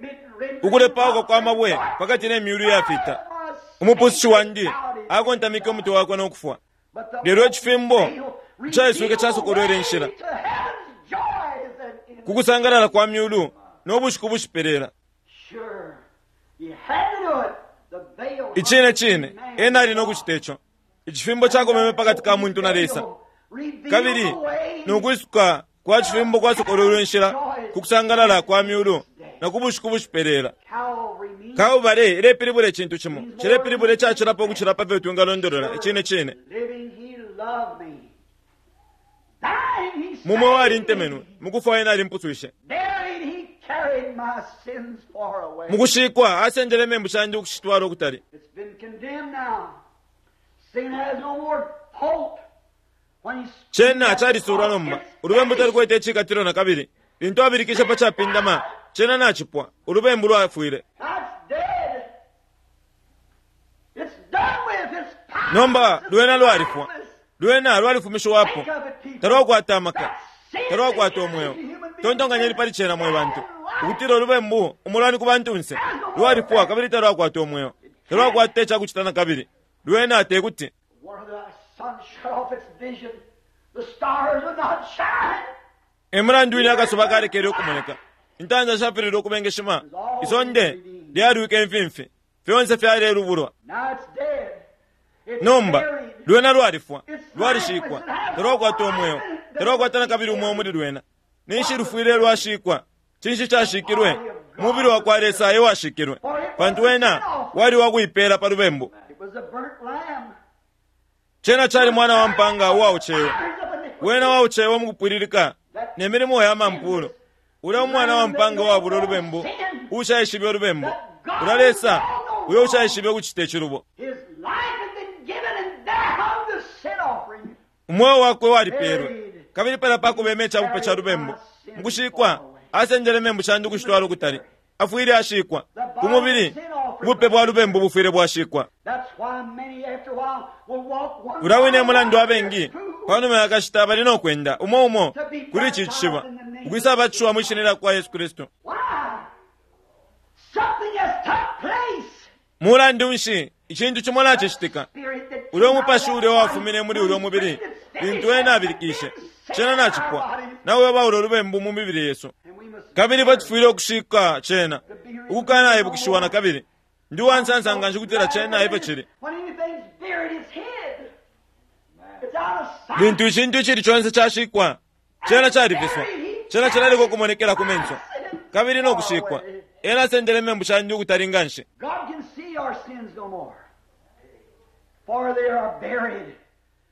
ukulepauka kwa mabwe pakati ne myulu iyafita, umupusushi wandi akontamike umutwe wakwe no kufwa. Lelo icifimbo icaiswike casokolwele inshila ku kusangalala kwa myulu no bushiku bushipelela. Sure. He had to do it. The veil Icine cine ena ali no kucita ico. Icifimbo cakomeme pakati ka muntu na Lesa, revealed Kabili the way nokwisuka kwa cifimbo kwasokolwelwe inshila ku kusangalala kwa myulu na ku bushiku bushipelela. Calvary means Kalvary ilepilibula icintu cimo, cilepilibula icacilapo ukucila pa fyo twingalondolola icine cine. living he loved me. Dying he Mumwe wali saved me. ntemenwe, mukufwa ena alimpuswishe. Buried he carried my sins far away. Mukushikwa asendele membu shandi ukushitwala ukutali. It's been condemned now. Sin has no more hope. When he Cena calisulwa nomba, ulubembu talukwete icikatilo na kabili. Lintu abilikishe pa capindama, cena nacipwa, ulubembu lwafwile. That's dead. It's done with. It's powerless. Nomba It's lwena lwalifwa, lifeless. lwena lwalifumishiwapo, Think of it, people. talwakwata amaka, That's sin talwakwata umweo. Tontonkanyeni pali cena mwe bantu, ukutila ulubembu umulwani ku bantunse lwalifwa kabili talwakwata umweo, talwakwata icakucita na kabili. Lwena tekuti One of the sun shut off its vision. The stars would not shine. emulandu wine akasuba kalekele ukumoneka, intanda shafilile ukubengeshima, isonde lyalwike imfimfi, fyonse fyalelubulwa. Now it's dead. It's Nomba buried. lwena lwalifwa, lwalishikwa, talwakwata umweo, talwakwata na kabili umweo muli lwena. Ninshi lufwile lwashikwa? Cinshi cashikilwe? Mubili wa kwa Lesa e washikilwe, pantu wena wali wakuipela pa lubembu. It was a burnt lamb. Cena cali mwana wa mpanga uwaucewe, Eyes of iniquity. wena waucewe mukupwililika ne milimo ya mampulo. Ulya umwana wa mpanga wabula ulubembu, ushaishibe ulubembu, ulya Lesa uyo ushaishibe ukucita icilubo. His life had been given and there hung the sin offering. Umweo wakwe walipelwe, kabili pala pakubema icabupe ca lubembu. Mukushikwa asendele membu shandi ukushitwala ukutali, afwile ashikwa ku mubili. Ubupe bwa lubembu bufwile bwashikwa. That's why many after a while will walk one Ulya wine mile mulandu abengi two panuma yakashita bali nokwenda umo umo kuli ici cishiba ukwisa batishiwa mwi shina lya kwa Yesu Kristu. Why? Something has took place. Mulandu nshi icintu cimo nacicitika? Spirit that Ulya came out umupashi of ulya that wafumine muli ulya mubili lintu ena abilikishe, cena nacipwa, nawe baula ulubembu mu mibili yesu. And we must Kabili batufwile ukushika cena ukukanaibukishiwa na kabili. Ndi uwansansa nga nshi kutila cena efyo cili. When anything's buried, it's hid. It's out of sight. Lintu icintu icili conse cashikwa, cena califiswa, cena cilaleka ukumonekela ku menso kabili nokushikwa. Ena asendele membu shandi ukutali nga nshi. God can see our sins no more, for they are buried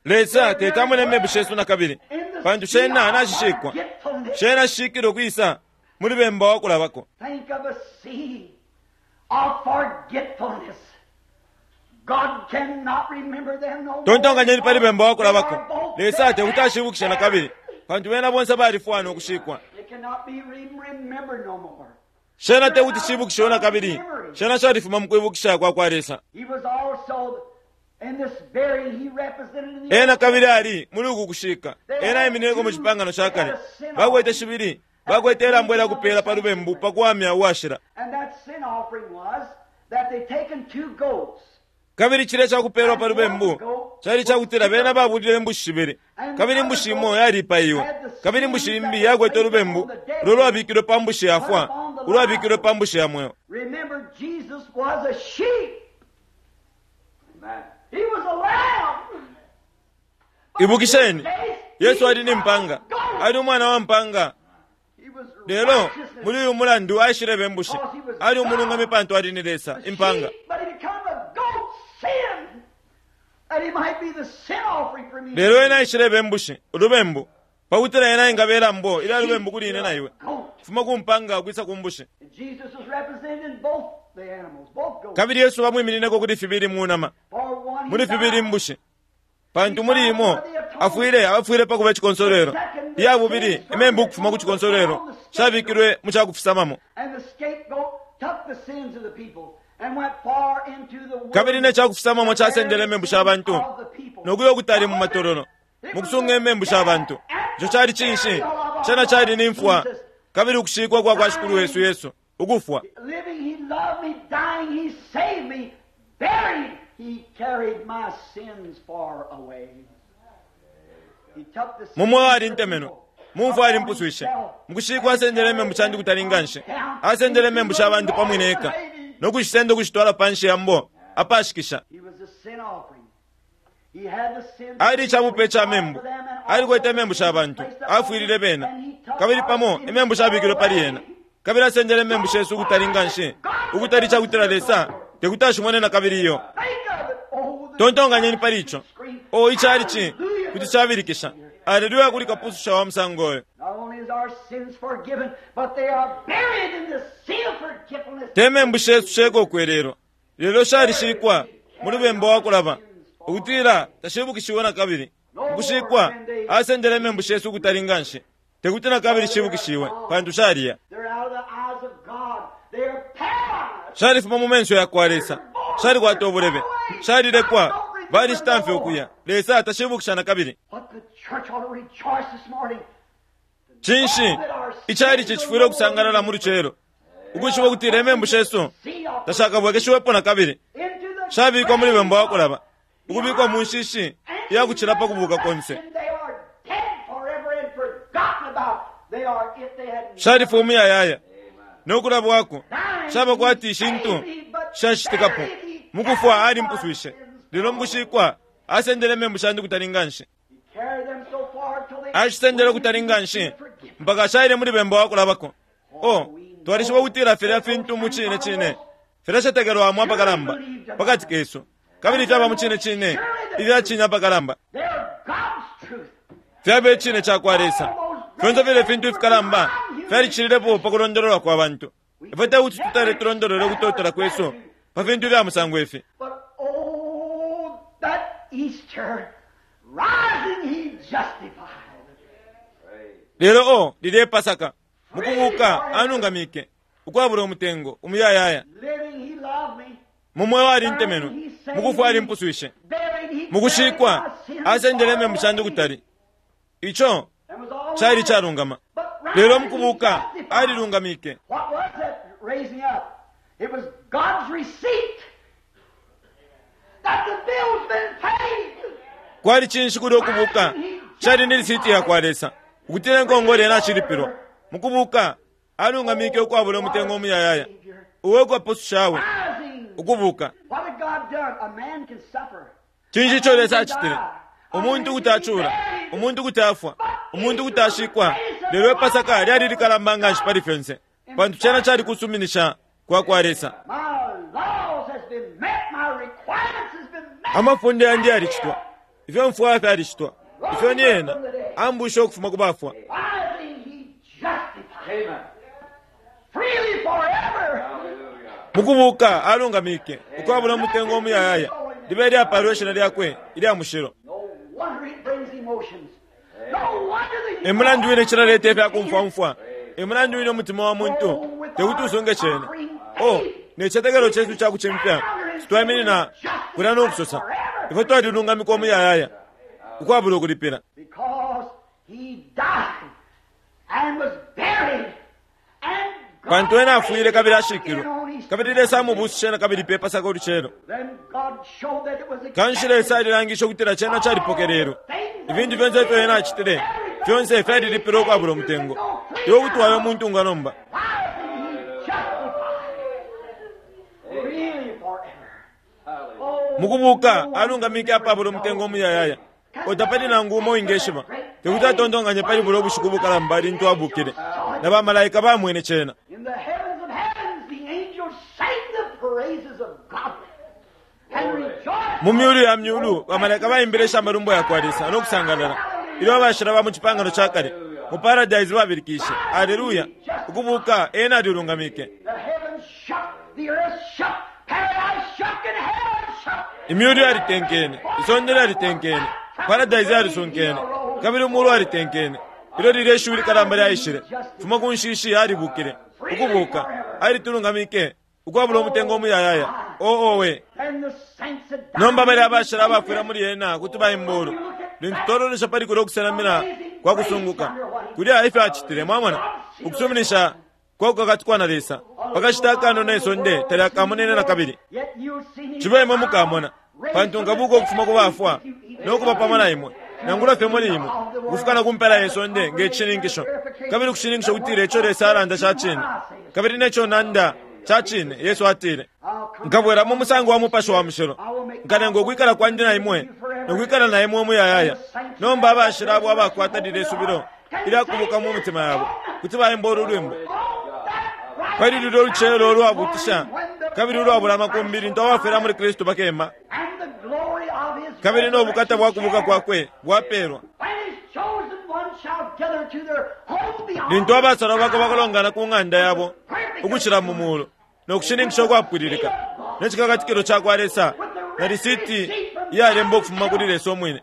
Lesa tetamone membu shesu na kabili, in the pantu sea cena of nacishikwa, forgetfulness. cena shishikile ukwisa muli bemba wakulabako. Think of a sea of forgetfulness. God cannot remember them no more. Tontonkanyeni pali bemba wakulabako. They are both Lesa tekuti dead. ashibukishe na kabili, pantu bena bonse balifwa nokushikwa. They cannot be re- remembered no more. Cena tekuti cibukishiwe na kabili, cena califuma mu kwibukisha kwa kwa Lesa. He was also in this burying he represented in the Ena kabili ali muli uku kushika, ena iminineko mu cipangano ca kale. Bakwete shibili, bakwete ilambo ilya kupela pa lubembu pa kuwamya uwashila. And that sin offering was that they taken two goats Kabili cilya cakupelwa pa lubembu cali cakutila bena babulile imbushi shibili, kabili imbushi imo yalipaiwe, kabili imbushi imbi yakwete ulubembu ulo lwabikilwe pa mbushi yafwa, ulwabikilwe pa mbushi ya mweo. Remember, Jesus was a sheep. Amen. He was a lamb. Ibukisheni, Yesu ali ni mpanga, ali umwana wa mpanga. He was Lelo righteousness. muli uyu mulandu aishileba imbushi, ali umulungami pantu ali ni Lesa impanga. Sheep, but he become a goat sin, that he might be the sin offering for me. Lelo ena aishileba imbushi, ulubembu, pakutila ena ingabela mbo ilya lubembu kuli ine na iwe, Goat. fuma ku mpanga ukwisa ku mbushi. And Jesus was represented in both the animals, both goats. Kabili Yesu bamwiminineko kuli fibili mu nama, For one he muli fibili died. mbushi, pantu muli imo afwile afwile pakuba icikonsolwelo. Iya bubili imembu ukufuma ku cikonsolwelo cabikilwe mu cakufisamamo. And the scapegoat took the sins of the people and went far into the Kabili ne cakufisamamo casendele imembu sha bantu of the people. nokuya ukutali mu matololo mukusunga imembu sha bantu. Ico cali cinshi? Cena cali ni mfwa kabili ukushikwa kwa kwa Shikulu wesu Yesu ukufwa. Living, he loved me. Dying, he saved me. Buried, he carried my sins far away. He took the sins Mu mweo of the alintemenwe, people mu mfwa alimpuswishe, mukushikwa asendele imembu shandi kutali nga nshi, asendele imembu sha bantu pamwine eka nokushisenda ukushitwala panshi ya mbo apashikisha. He was a sin offering. Ali icabupe ca membu, alikwete imembu sha bantu, afwilile bena, kabili pamo imembu shabikilwe pali ena, kabili asendele imembu shesu ukutali nganshi, ukutali cakutila Lesa tekuti ashimone na kabili iyo. Tontonkanyeni pali ico. O icali ci kuti cabilikisha aleluya kuli kapususha wa musango oyo. Te membu shesu sheka ukwelelwa, lelo shalishikwa mu lubemba wa kulaba, ukutila tashibukishiwe na kabili. Ukushikwa asendele imembu shesu ukutali nganshi, tekuti na kabili shibukishiwe, pantu shaliya shalifuma mu menso yakwa Lesa, shalikwata ubulebe, shalilekwa, balishitamfye ukuya. Lesa tashibukisha na kabili. Cinshi icali cicifwile ukusangalala mu lucelo, ukwishiba ukutila imembu shesu tashakabwekeshiwepo na kabili, shabikwa muli bemba wa kulaba, ukubikwa mu nshishi iyakucila pa kubuka konse. Shalifuma umuyayaya nokulabwako, shaba kwati ishintu shashitikapo. Mukufwa alimpuswishe, lelo mukushikwa asendele imembu shandi kutali nganshi, ashisendele kutali nganshi mpaka shaile muli bemba wa kulabako. O twalishiba ukutila filya fintu mu cine cine filashatekelwamo apakalamba pakati kesu, kabili fyaba mu cine cine ifya apakalamba, fyaba icine cakwa Lesa. Fyonse file fintu ifikalamba fyalicililepo pa kulondololwa kwa bantu. Ifwe tekuti tutale tulondolole ukutotela kwesu pa fintu fya musango ifi. Lelo o lilye Pasaka mukubuka anungamike ukwabula umutengo umuyayaya. Mu mweo alintemenwe, mukufwa alimpuswishe, mukushikwa asendele imembu shandi kutali. Ico cali calungama, lelo mukubuka alilungamike. Kwali cinshi kuli ukubuka? Cali ni lisiti yakwa Lesa ukutila inkongole ena ashilipilwa. Mukubuka alungamike ukwabula umutengo umuyayaya, uwe kwapusushawe ukubuka. Cinshi ico Lesa acitile? Umuntu kuti acula, umuntu kuti afwa, umuntu kuti ashikwa, lelo Epasaka lyali likalamba nganshi pali fyonse, pantu cena cali kusuminisha kwa kwa Lesa. Amafunde yandi yalicitwa, ifyo mfwaya fyalicitwa, ifyo ni ena ambusha ukufuma ku bafwa. Mukubuka alungamike ukwabula umutengo umuyayaya, libe lyapalwe ishina lyakwe ilya mushilo. Emulandu wine cilaleta ifyakumfwamfwa, emulandu wine umutima wa muntu tekuti usunge cena. O necicetekelo cesu cakucimfya sitwaiminina kulya nokusosa ifwe twalilungamikwa umuyayaya ukwabula ukulipila, pantu ena afwile kabili ashikilwe, kabili Lesa amubusushe na kabili pe Pasaka ulucelo. Kanshi Lesa alilangisha ukutila cena calipokelelwe. Ifintu fyonse ifyo ena acitile fyonse fyalilipilwe ukwabula umutengo. Iwe kuti wayo umuntu nga nomba. Mukubuka alungamike apabula umutengo umuyayaya, otapali nangu umo wingeshiba tekuti atontonkanye pali bulo ubushiku bukalamba lintu abukile, na bamalaika bamwene cena. Mu myulu ya myulu bamalaika baimbile amalumbo yakwa Lesa nokusangalala ilyo abashila ba mu cipangano ca kale mu paradise babilikishe aleluya. Ukubuka ena alilungamike. Imyulu yalitenkene, isonde lyalitenkene, paradise yalisunkene, kabili umulu alitenkene. Ilyo lilye ishiwi likalamba lyaishile fuma ku nshishi alibukile ukubuka alitulungamike ukwabula umutengo umuyayaya. O owe nomba bali abashila abafwila muli ena kuti baimbulu. Lintu twalolesha pali kulya ukusenamina kwa kusunguka kulya ifyo acitile, mwamona ukusuminisha kwa kukakatikwa na Lesa pakashita akanono isonde talyakamonene na kabili. Cibe imwe mukamona, pantu nkabuka ukufuma ku bafwa nokuba pamo na imwe, nangula fye muli imwe, ukufika na ku mpela ye sonde nge cishininkisho, kabili ukushininkisha ukutila ico Lesa alanda ca cine, kabili neco nanda ca cine. Yesu atile, nkabwela mu musango wa Mupashi wa Mushilo, nkalenga ukwikala kwandi na imwe Nokwikala na imwe umuyayaya. Nomba abashila abo abakwata lile subilo ilyakubuka mu mitima yabo kuti baimba ulu lwimbo pali lulyo lucelo ulwabutisha kabili ulwabula amakumbi lintu abafwila muli Kristu bakema, kabili nobukata bwa kubuka kwakwe bwapelwa. Lintu abasalwa bakwe bakalongana ku ng'anda yabo ukucila mu mulu nokushininkisha ukwapwililika necikakatikilo cakwa Lesa na lisiti iyalemba ukufuma kuli Lesa umwine.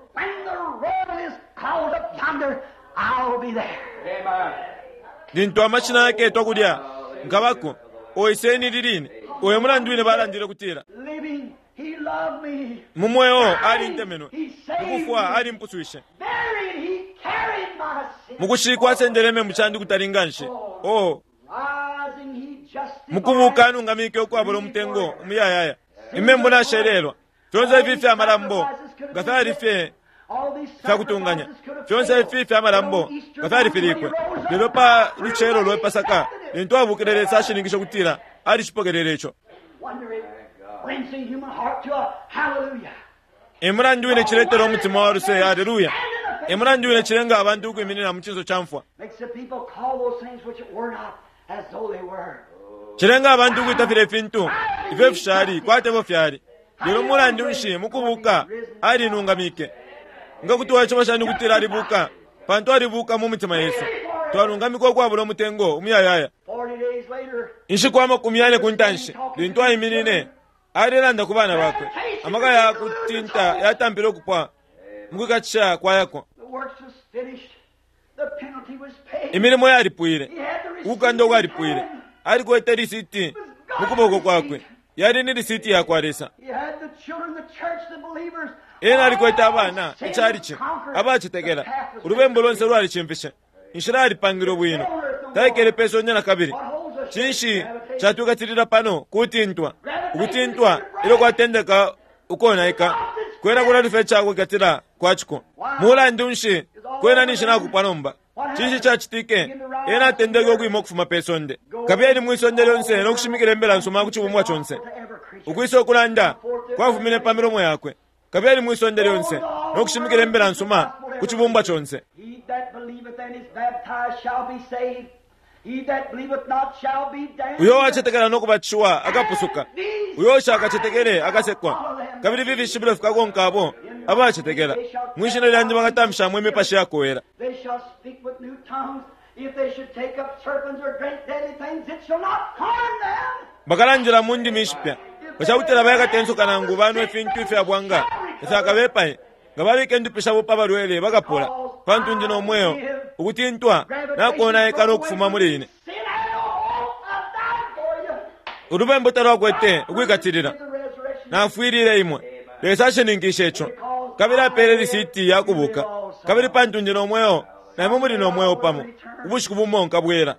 Lintu amashina yaketwa kulya nkabako oiseni liline oyo mulandu wine balandile kutila mu mweo alintemenwe, mukufwa alimpuswishe, mukushikwa asendele membu shandi kutali nganshi. Oh, mukubuka anungamike ukwabula umutengo umuyayaya. Imembu nashelelwa fyonse ifi fya malambo nga fyali fye fyakutunganya, fyonse ifi fya malambo nga fyalifilikwe. Lelo pa lucelo lwe Pasaka lintu abukile Lesa ashininkishe kutila alishipokelele ico. Emulandu wine ciletela umutima wa luse, haleluya. Emulandu wine cilenga abantu ukwiminina mu cinso ca mfwa. Cilenga abantu ukwitafila ifintu ifyo fishali kwati efyo fyali. Lelo mulandu nshi mukubuka alinungamike? Nga kuti waishiba shani kutila alibuka? Pantu alibuka mu mitima yesu. Twalungamikwa ukwabula umutengo umuyayaya. Inshiku amakumi yane ku ntanshi lintu aiminine alelanda ku bana bakwe, amaka ya kutinta yatampile ukupwa mukwikatisha kwayako. Imilimo yalipwile, ukukanda ukwalipwile. Alikwete lisiti mu kuboko kwakwe, yali ni lisiti yakwa Lesa. Ena alikwete abana icalici abacetekela. Ulubembu lonse lwalicimfishe. Inshila yalipangilwe bwino, taikele pe sonde na kabili. Cinshi catwikatilila pano kutintwa? Ukutintwa ilyo kwatendeka ukonaika kwena kulalufa icakwikatila kwaciko. Mulandu nshi kwena ninshi nakupwa nomba? Cinshi cacitike? Ena atendeke ukwima ukufuma pe sonde, kabili mwisonde lyonse nokushimikila imbila nsuma ku cibumbwa conse. Ukwisa ukulanda kwafumine pa milomo yakwe, kabili mwisonde lyonse nokushimikila imbila nsuma ku cibumbwa conse. Uyo wacetekela nokubatishiwa akapusuka, uyo ushakacetekele akasekwa. Kabili ifi fishibilo fikakonka abo abacetekela. Mwishina lyandi bakatamfishamo imipashi yakowela. Bakalandila mu ndimi ishipya. Bacakutila bayakatensuka nangu banwe ifintu ifya bwanga ifyakabepaye. Nga babika indupi shabo pa balwele bakapola. Pantu ndi no mweo ukutintwa nakonaika nokufuma muli ine. Ulubembu talwakwete ukwikatilila. Nafwilile imwe. Lesa ashininkishe ico, kabili apele lisiti yakubuka. Kabili pantu ndi no mweo, naimwe muli no mweo pamo. Ubushiku bumo nkabwela.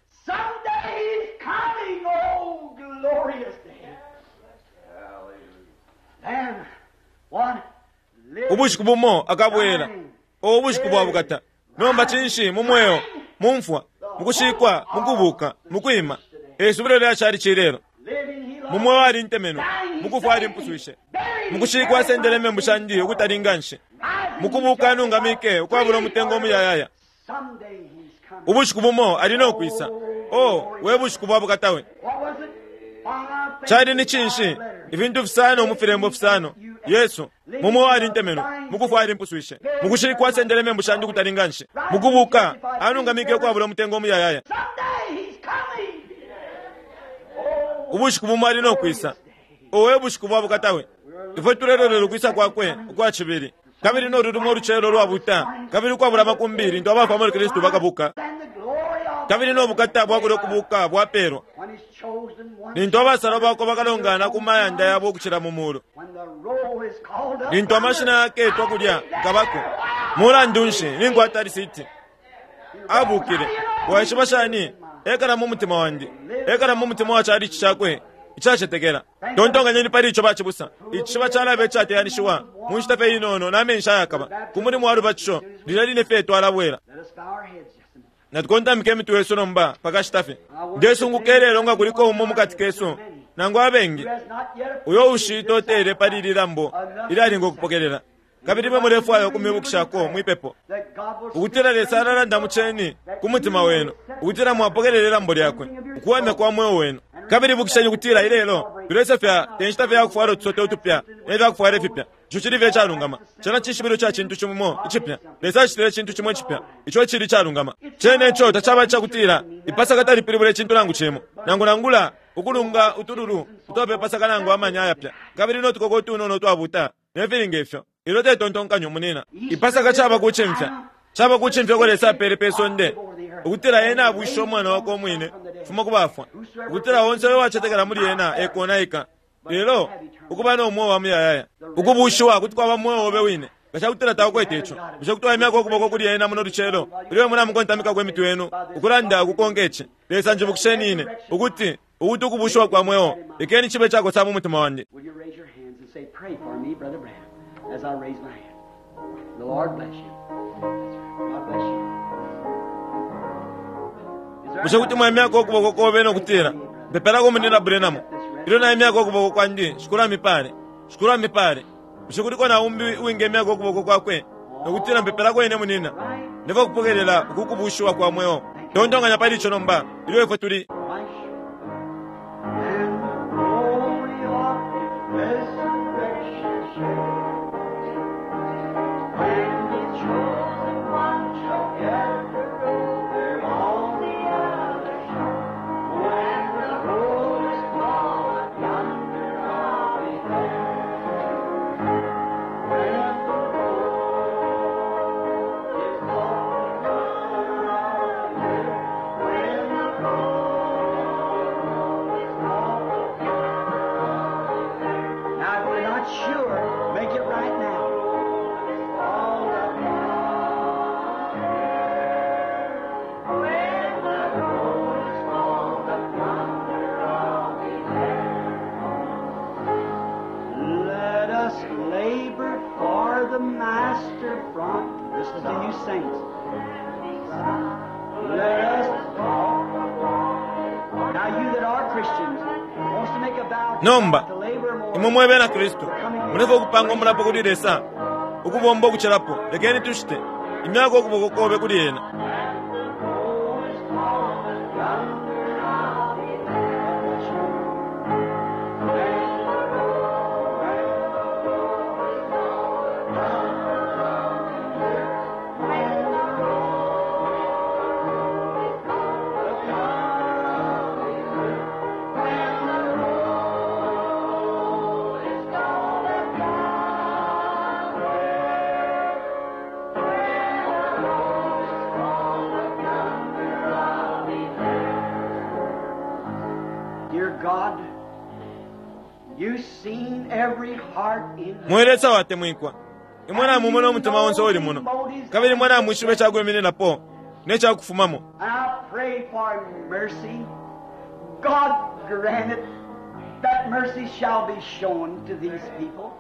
Ubushiku bumo akabwela. O ubushiku bwa bukata. Nomba cinshi mu mweo, mu mfwa, mukushikwa, mukubuka, mukwima. Esubilo lyacali cilelo. Mu mweo alintemenwe, mukufwa alimpuswishe, mukushikwa asendele membu shandi ukutali nganshi, mukubuka anungamike ukwabula umutengo umuyayaya. Ubushiku bumo ali nokwisa. Oh, we bushiku bwa bukata we. Cali ni cinshi? Ifintu fisano mu filembo fisano. Yesu mu mweo alintemenwe, mukufwa alimpuswishe, mukushikwa asendele membu shandi ukutali nganshi, mukubuka anungamike ukwabula umutengo umuyayaya. Ubushiku bumo ali nokwisa. Owe bushiku bwa bukata we. Ifwe tulelolelo ukwisa kwakwe ukwa cibili, kabili nolulumo ulucelo lwabuta, kabili ukwabula amakumbi lintu abafwa muli Kristu bakabuka, kabili nobukata bwakule ukubuka bwapelwa lintu abasalwa bakwe bakalongana ku mayanda yabo ukucila mu mulu, lintu amashina yaketwa kulya nkabako. Mulandu nshi ninkwata lisiti? Abukile. Waishiba shani? Ekala mu mutima wandi, ekala mu mutima wa chalichi chakwe icacetekela. Tontonganyeni pali ico bacibusa. Icishiba calabe icateyanishiwa mu nshita fye inono na menshi ayakaba ku mulimo wa lubatisho lilya line fye twalabwela. Natukontamike imitwe yesu nomba pakashita fye. Ndesunguka ilelo nga kuliko umo mukati kesu nangu abengi uyo ushitotele pali ili lambo ilyalinga ukupokelela. Kabili imwe mulefwaya ukumibukishako mwipepo, ukutila Lesa alalanda muceni ku mutima wenu, ukutila mwapokelela ilambo lyakwe, ukuwamya kwa mweo wenu. Kabili ibukisheni ukutila ilelo tulesefya te nshita fye yakufwala utusote utupya ne fyakufwala ifipya. Ico cili fye icalungama. Cena cishibilo ca cintu cimo icipya. Lesa acitile icintu cimo icipya, ico cili icalungama. Cene ico tacaba icakutila ipasaka talipilibula icintu nangu cimo, nangu nangula ukulunga utululu utwape pasaka nangu amanya ayapya, kabili no tukoko utunono utwabuta ne filinga ifyo. Ilo te tontonkanyo munina. Ipasaka caba kucimfya, caba kucimfya ko Lesa apele pe sonde, ukutila ena abwisha umwana wakwe umwine fuma ku bafwa, ukutila onse uyo wacetekela muli ena ekonaika, lelo ukuba no mweo wa muyayaya. Ukubushiwa kuti kwaba mweo obe wine nga cakutila takwete ico. Bushe kuti waimyako ukuboko kuli ena muno lucelo, ilyo imwe namukontamikako imitwe yenu ukulanda ukukonka ici: Lesa njibukisheni ine ukuti ukuti ukubushiwa kwa mweo lekeni cibe cakosa mu mutima wandi. Will you raise your hands and say, "Pray for me, Brother Branham," as I raise my hand. The Lord bless you. God bless you. Is there Bushe kuti mwaimyako ukuboko kobe nokutila, "Mpepelako munina Branham, ilyo naimyako ukuboko kwandi, shikulu amipale, shikulu amipale." Bushe kuliko na umbi uwingemyako ukuboko kwakwe nokutila, "Mpepelako ine munina, ndeva kupokelela uku kubushiwa kwa mweo"? Tontonkanya pali ico nomba ilyo ifwe tuli. Christ and the glory of His resurrection share. When the chosen ones shall gather over on the other shore, when the roll is called, yonder I'll be there. When the roll is called, yonder I'll be there. When the roll is called, yonder I'll be there. Now, if we're not sure, make it right now. All the When the roll is called, yonder I'll be there. Let us labor for the Master from. This is the you saints. Let us walk the walk. Now you that are Christians wants to make a vow to Nomba, God to labor more. imwe mwe bena Kristu mulefa ukupanga umulapo kuli Lesa ukubomba ukucelapo, lekeni tushite imyako ukuboko kobe kuli ena. Dear God, you've seen every heart in Mwe Lesa watemwikwa, imwe namumona umutima onse uli muno, kabili imwe namwishiba icakwimininako ne cakufumamo. And I pray for mercy. God grant it that mercy shall be shown to these people.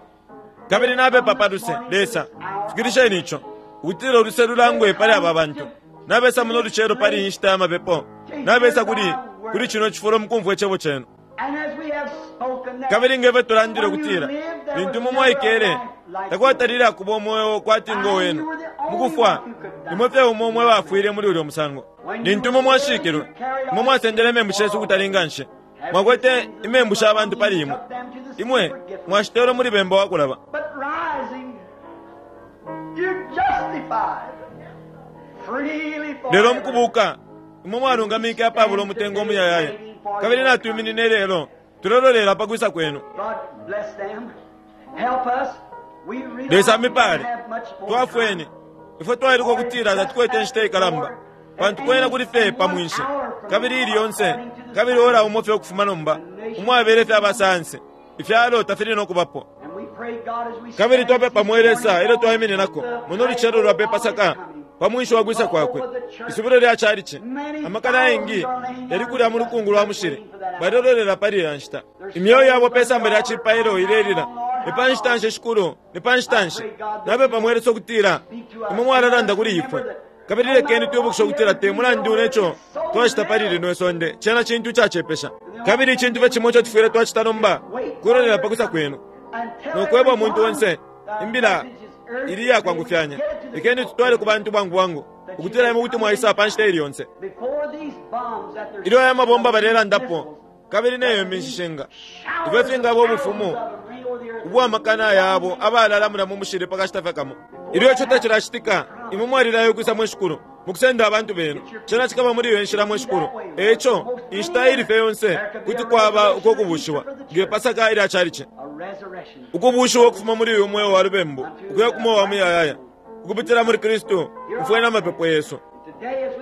Kabili napepa pa luse, Lesa fikilisheni ico, ukutila uluse lulangwe pali aba bantu. Nabesa muno lucelo pali iyi nshita ya mapepo, nabesa kuli kuli chino cifulo mukumvwa icebo chenu. And as we have spoken that Kabili ngefyo tulandile ukutila lintu imwe mwaikele takwatalile akuba umweo kwati ngo wenu mukufwa, imwe fye umo mwe bafwile muli ulyo musango. Lintu imwe mwashikilwe, imwe mwasendele imembu shesu ukutalinga nshi, mwakwete imembu sha bantu pali imwe, imwe mwashitelwe muli bemba wakulaba. But rising, you're justified freely Lelo forever. mukubuka imwe mwalungamike apabula umutengo umuyayaya, kabili natwiminine lelo tulelolela pakwisa kwenu. God bless them. Help us. We realize Lesa we amipale don't have much more twafweni time. ifwe twailuka ukutila tatukwete inshita ikalamba, pantu kwena kuli fye pamwinshi, kabili ili yonse kabili ora umo fye ukufuma nomba umwabele fye abasansi ifyalo tafili nokubapo. And we pray, God, as we Kabili stand twapepa this mwe Lesa morning ilyo twaimininako muno lucelo lwa pe pasaka pa mwinshi wa kwisa kwakwe, isubilo lya chalichi amakana ayengi yali kulya mu lukungu lwa mushili, balilololela pali iya nshita. Imyoyo yabo pe samba lya cipailo ilelila, ni pa nshita nshi shikulu, ni pa nshita nshi? Napepa mwe Lesa ukutila imwe mwalalanda kuli ifwe, kabili lekeni twibukishe ukutila te mulandu neco twacita pali lino isonde, cena cintu icacepesha. Kabili icintu fye cimo ico tufwile twacita nomba kulolela pakwisa kwenu and tell nokweba umuntu everyone onse the imbila message is Ili yakwangufyanya. Lekeni tutwale ku bantu bwangu bwangu ukutila imwe kuti mwaisa pa nshita ili yonse. Ilyo aya mabomba balelandapo kabili neyo minshishinga ifyo fingaba ubufumu ubwamakana yabo abalalamula mu mushili pakashita fye kamo. Ilyo ico tacilacitika, imwe mwalilayo ukwisa mwe Shikulu mukusenda abantu benu. Cena cikaba muli iyo nshila mwe Shikulu. Eco inshita ili fye yonse kuti kwaba uko kubushiwa nge Pasaka ilya chalichi, ukubushiwa ukufuma muli uyu mweo wa lubembu ukuya ku mweo wa muyayaya ukupitila muli Kristu mfwe na mapepo yesu.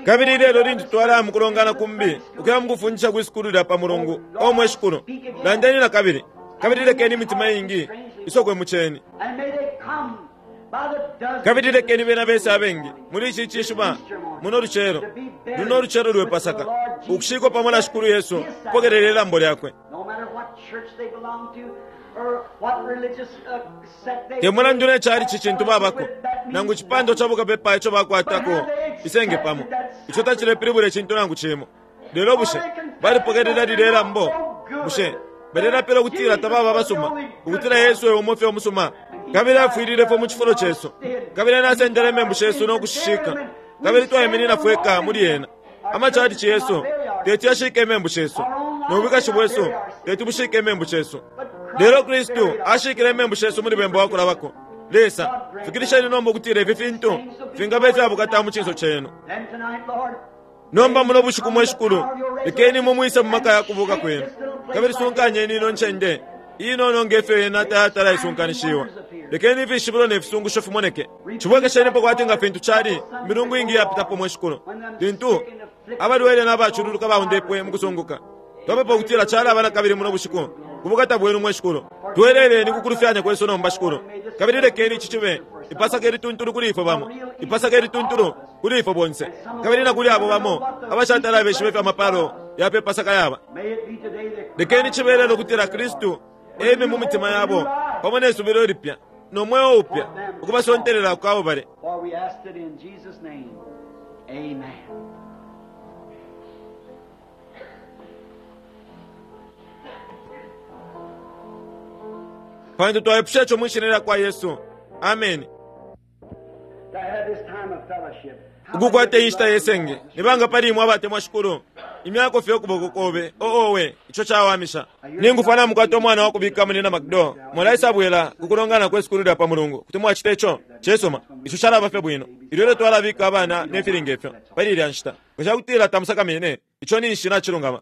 Kabili lelo lintu twalaya mukulongana kumbi ukuya mukufundisha kwi lya pa mulungu o mwe Shikulu, landeni na kabili kabili lekeni imitima ingi isokwe mucheni, kabili lekeni bena bese abengi muli ichi chishuba muno lucero luno lucero lwe Pasaka ukushikwa pamo na Shikulu Yesu kupokelela ilambo lyakwe. Te mulandu ne chali chintu babako nangu chipando chabukapepa icho bakwatako isenge pamo icho tachilepilibula chintu nangu chimo. Lelo bushe balipokelela lile lambo, bushe balelapela ukutila tababa basuma ukutila Yesu ewe umofye omusuma kabili afwililefo mu chifulo chesu kabili anasendele membu shesu nokushishika kabili twaiminina fweka muli yena. Amachalichi yesu teti yashike emembu shesu nobwikashi bwesu teti bushike emembu shesu. Lelo Kristu ashikile emembu shesu muli bembo wakulabako. Lesa fikirisheni nomba ukutila ifi fintu fingabe fyabukata mu chinso chenu. Nomba muno bushiku mwe Shikulu, lekeni mumwise mu maka yakubuka kwenu kabili sunkanyeni ino ncende inono ngefyo yena tayatala isunkanishiwa. Lekeni ifishibilo ne fisungusho fimoneke. Chibwekeshenipo kwati nga fintu chali milungu ingi yapitapo mwe Shikulu, lintu abalwele n'abachululuka baundepwe mukusunguka. Twapepa ukutila chala abana kabili muno bushiku kubukata bwenu mwe Shikulu. Tweleleni kukulufyanya kwesu nomba Shikulu, kabili lekeni ichi chibe ipasaka elituntulu kuli ifwe bamo, ipasaka elituntulu kuli ifwe bonse kabili na kuli abo bamo abashatala beshibe fya mapalo yape pasaka yaba. Lekeni chibelelo kutila Kristu eme mu mitima yabo pamo ne subilo lipya no mweo upya ukubasontelela kwabo bale. Pantu twaepusha cho mwishina kwa Yesu. Amen. Ukukwate inshita yesenge nibanga pali imwe abatemwa Shikulu imyako fye ukuboko kobe oowe icho chawamisha ningufana mukwata omwana wakubika munina Macdo mwalaisabwela kukulongana kwe sukulu lya pa mulungu kuti mwachita icho chesoma icho chalaba fye bwino ilyo lyo twalabika abana nefilinga ifyo pali ilya nshita ngachakutila tamusakamene icho ninshi nachilungama.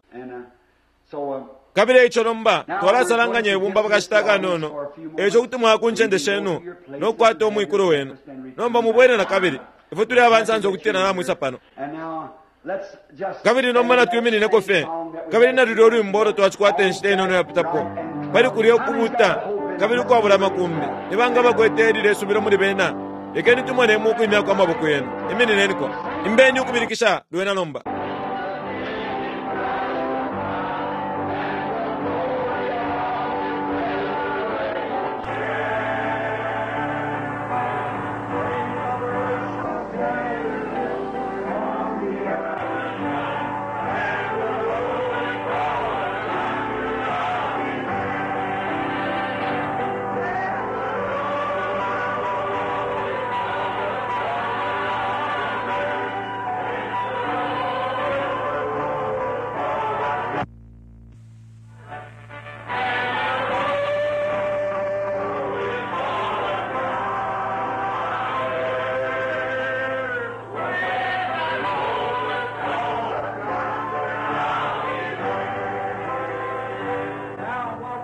Kabili icho nomba twalasalanganya ibumba pakashita kanono echo kuti mwakuncende shenu nokukwata omwikulu wenu. Nomba mubwere na kabili ifwe tuli abansanza okutila namwisa pano. Kabili nomba natwiminинeko fye kabili nalulya olwimbo olo twachikwata enshita inono yapitapo pali kulya okubuta kabili ukwabula makumbi nibanga bakwete elile isubilo muli bena. Lekeni tumonemu ukwimyako amaboko yenu. Iminineniko imbeni ukubilikisha lwena nomba.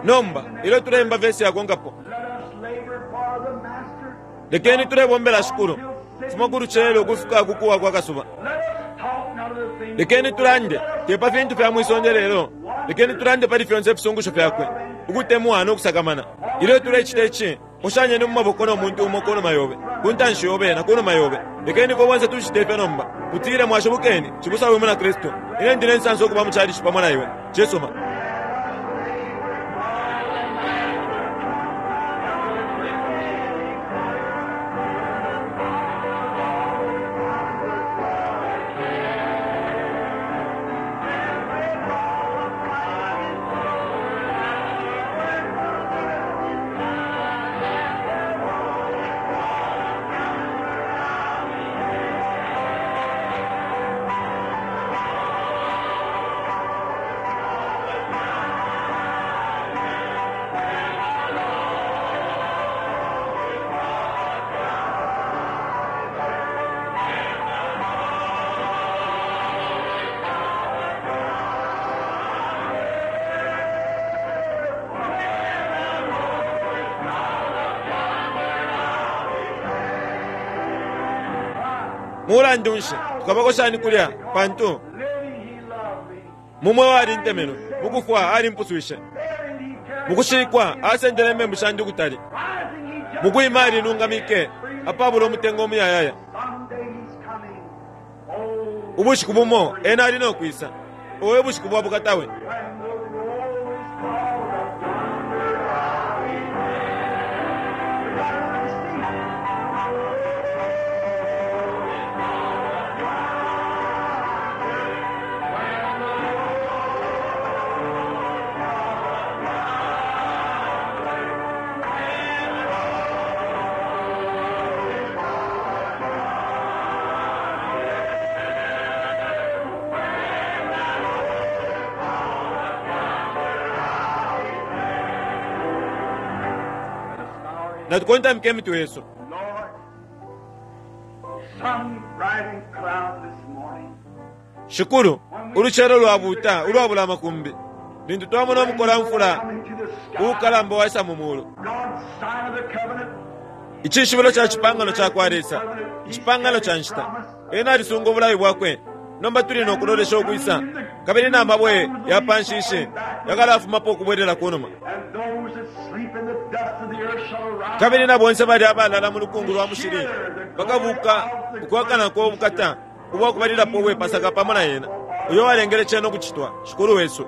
Nomba ilo tulemba vesi yakongapo lekeni tulebombela Shikulu fuma kuluchelo kufika kukuwa kwa kasuba. Lekeni tulande tepa fintu fya mwisonde lelo, lekeni tulande pali fyonse fisungusho fyakwe ukutemwa nokusakamana. Ilo tulechita ichi mushanyeni mu maboko nomuntu umo kunuma yobe kuntanshi yobe na kunuma yobe. Lekeni fwe bonse tuchite ifyo nomba mutile mwashibukeni chibusa wimwe na Kristu. Ine ndine nsansa okuba muchalichi pamo na iwe chesoma. Mulandu nshi tukabako shani kulya, pantu mumwe walintemenwe, mukufwa alimpuswishe, mukushikwa asendele membu shandi ukutali, mukwima alinungamike apabula umutengo umuyayaya. Ubushiku bumo ena ali nokwisa, owe bushiku bwa bukatawe. Natukontamike emitwe yesu. Shikulu, ulucelo lwabuta ulwabula amakumbi, lintu twamona umukola mfula uukalamba waisa mu mulu, icishibilo ca cipangano ca kwa Lesa, icipangano ca nshita. Ena alisunga ubulayi bwakwe. Nomba tuli nokulolesha ukwisa, kabili na mabwe ya panshishi yakalafumapo ukubwelela kunuma, kabili na bonse bali abalala mu lukungu lwa mushili bakabuka ukwakanako ubukata ubwakubalilapo ubwepasaka pamo na yena uyo walengele cena ukucitwa. Shikulu wesu,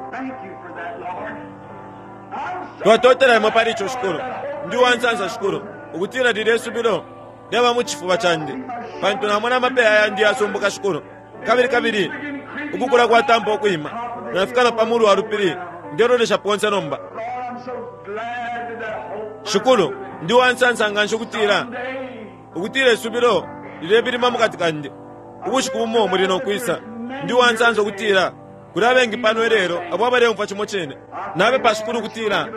twatotela imwe pali ico, Shikulu. Ndi uwansansa, Shikulu, ukutila lilye subilo lyaba mu cifuba candi, pantu namona amapeya yandi yasumbuka, Shikulu, kabili kabili ukukula kwatampa ukwima, nafika na pamulu wa lupili, ndelolesha ponse nomba. Shikulu, ndi uwansansa nganshi ukutila ukutila isubilo lilebilima mukati kandi, ubushiku bumo muli nokwisa. Ndi uwansansa ukutila kuli abengi pano ilelo abo abaleumfwa cimo cine. Napepa, Shikulu, ukutila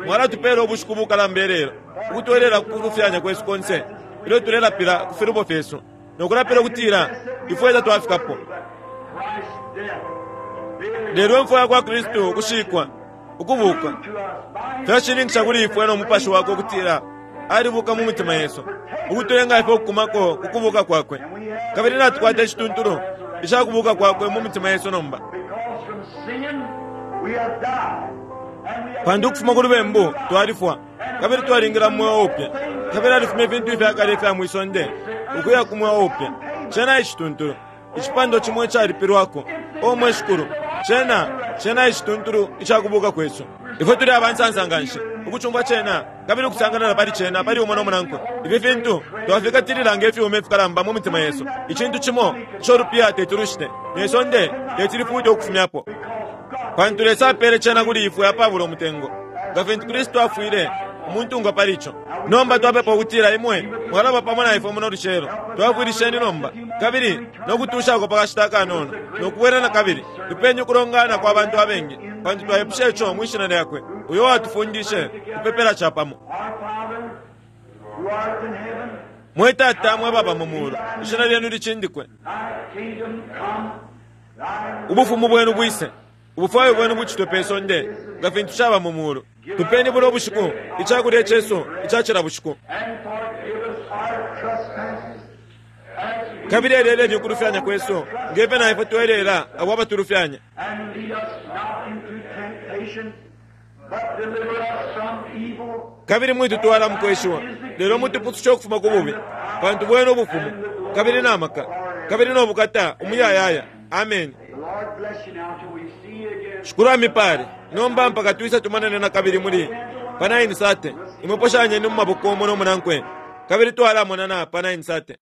mwalatupela ubushiku bukalamba ilelo, ukutwelela kulufyanya kwesu konse ilyo tulelapila ku filubo fyesu, nokulapila ukutila ifwe tatwafikapo. Lelo imfwa ya kwa Kristu, ukushikwa, ukubuka, fyashininkisha kuli ifwe no mupashi wakwe ukutila alibuka mu mitima yesu, ukutulenga ifwe ukukumako kukubuka kwakwe. Kabili natukwata icituntulu icakubuka kwakwe mu mitima yesu nomba, pantu ukufuma ku lubembu twalifwa, kabili twalingila mu mweo upya, kabili alifuma ifintu ifyakale ifya mwisonde ukuya ku mweo upya. Cena icituntulu, icipando cimo icalipilwako. O mwe Shikulu, cena cena icituntulu icakubuka kwesu. Ifwe tuli abansansa nganshi ukucumfwa cena kabili ukusanganana pali cena pali umo nomunankwe. Ifi fintu twafikatilila nge fyuma ifikalamba mu mitima yesu, icintu cimo ico lupiya teti lushite ne sonde teti lifute ukufumyapo, pantu Lesa apele cena kuli ifwe apabula umutengo, nga fintu Kristu afwile umuntungwa pali ico. Nomba twapepa ukutila imwe mwalaba pamo na ifwe muno lucelo. Twafwilisheni nomba kabili nokutushako pakashita akanono nokubwela na kabili. Tupeni ukulongana kwa bantu abengi, pantu twaipusha ico mwi shina lyakwe uyo watufundishe kupepela capamo. Mwe Tata mwe baba mu mulu, ishina lyenu licindikwe, ubufumu bwenu bwise, ubufwayo bwenu bucitwe pe sonde nga fintu caba mu mulu. Tupeni buno bushiku icakulya cesu icacila bushiku, kabili eleleni ukulufyanya kwesu ngefe na ifwe twelela abo abatulufyanya, kabili mwitutwala mukweshiwa, lelo mutupusushe ukufuma ku bubi, pantu bwenu ubufumu kabili na maka kabili no bukata umuyayaya. Amen. Shikulu amipale nomba mpaka twisa tumonane na kabili muli pa nine sate. Imwe poshanyeni mu maboko umo nomunankwe, kabili twalamonana pa nine sate.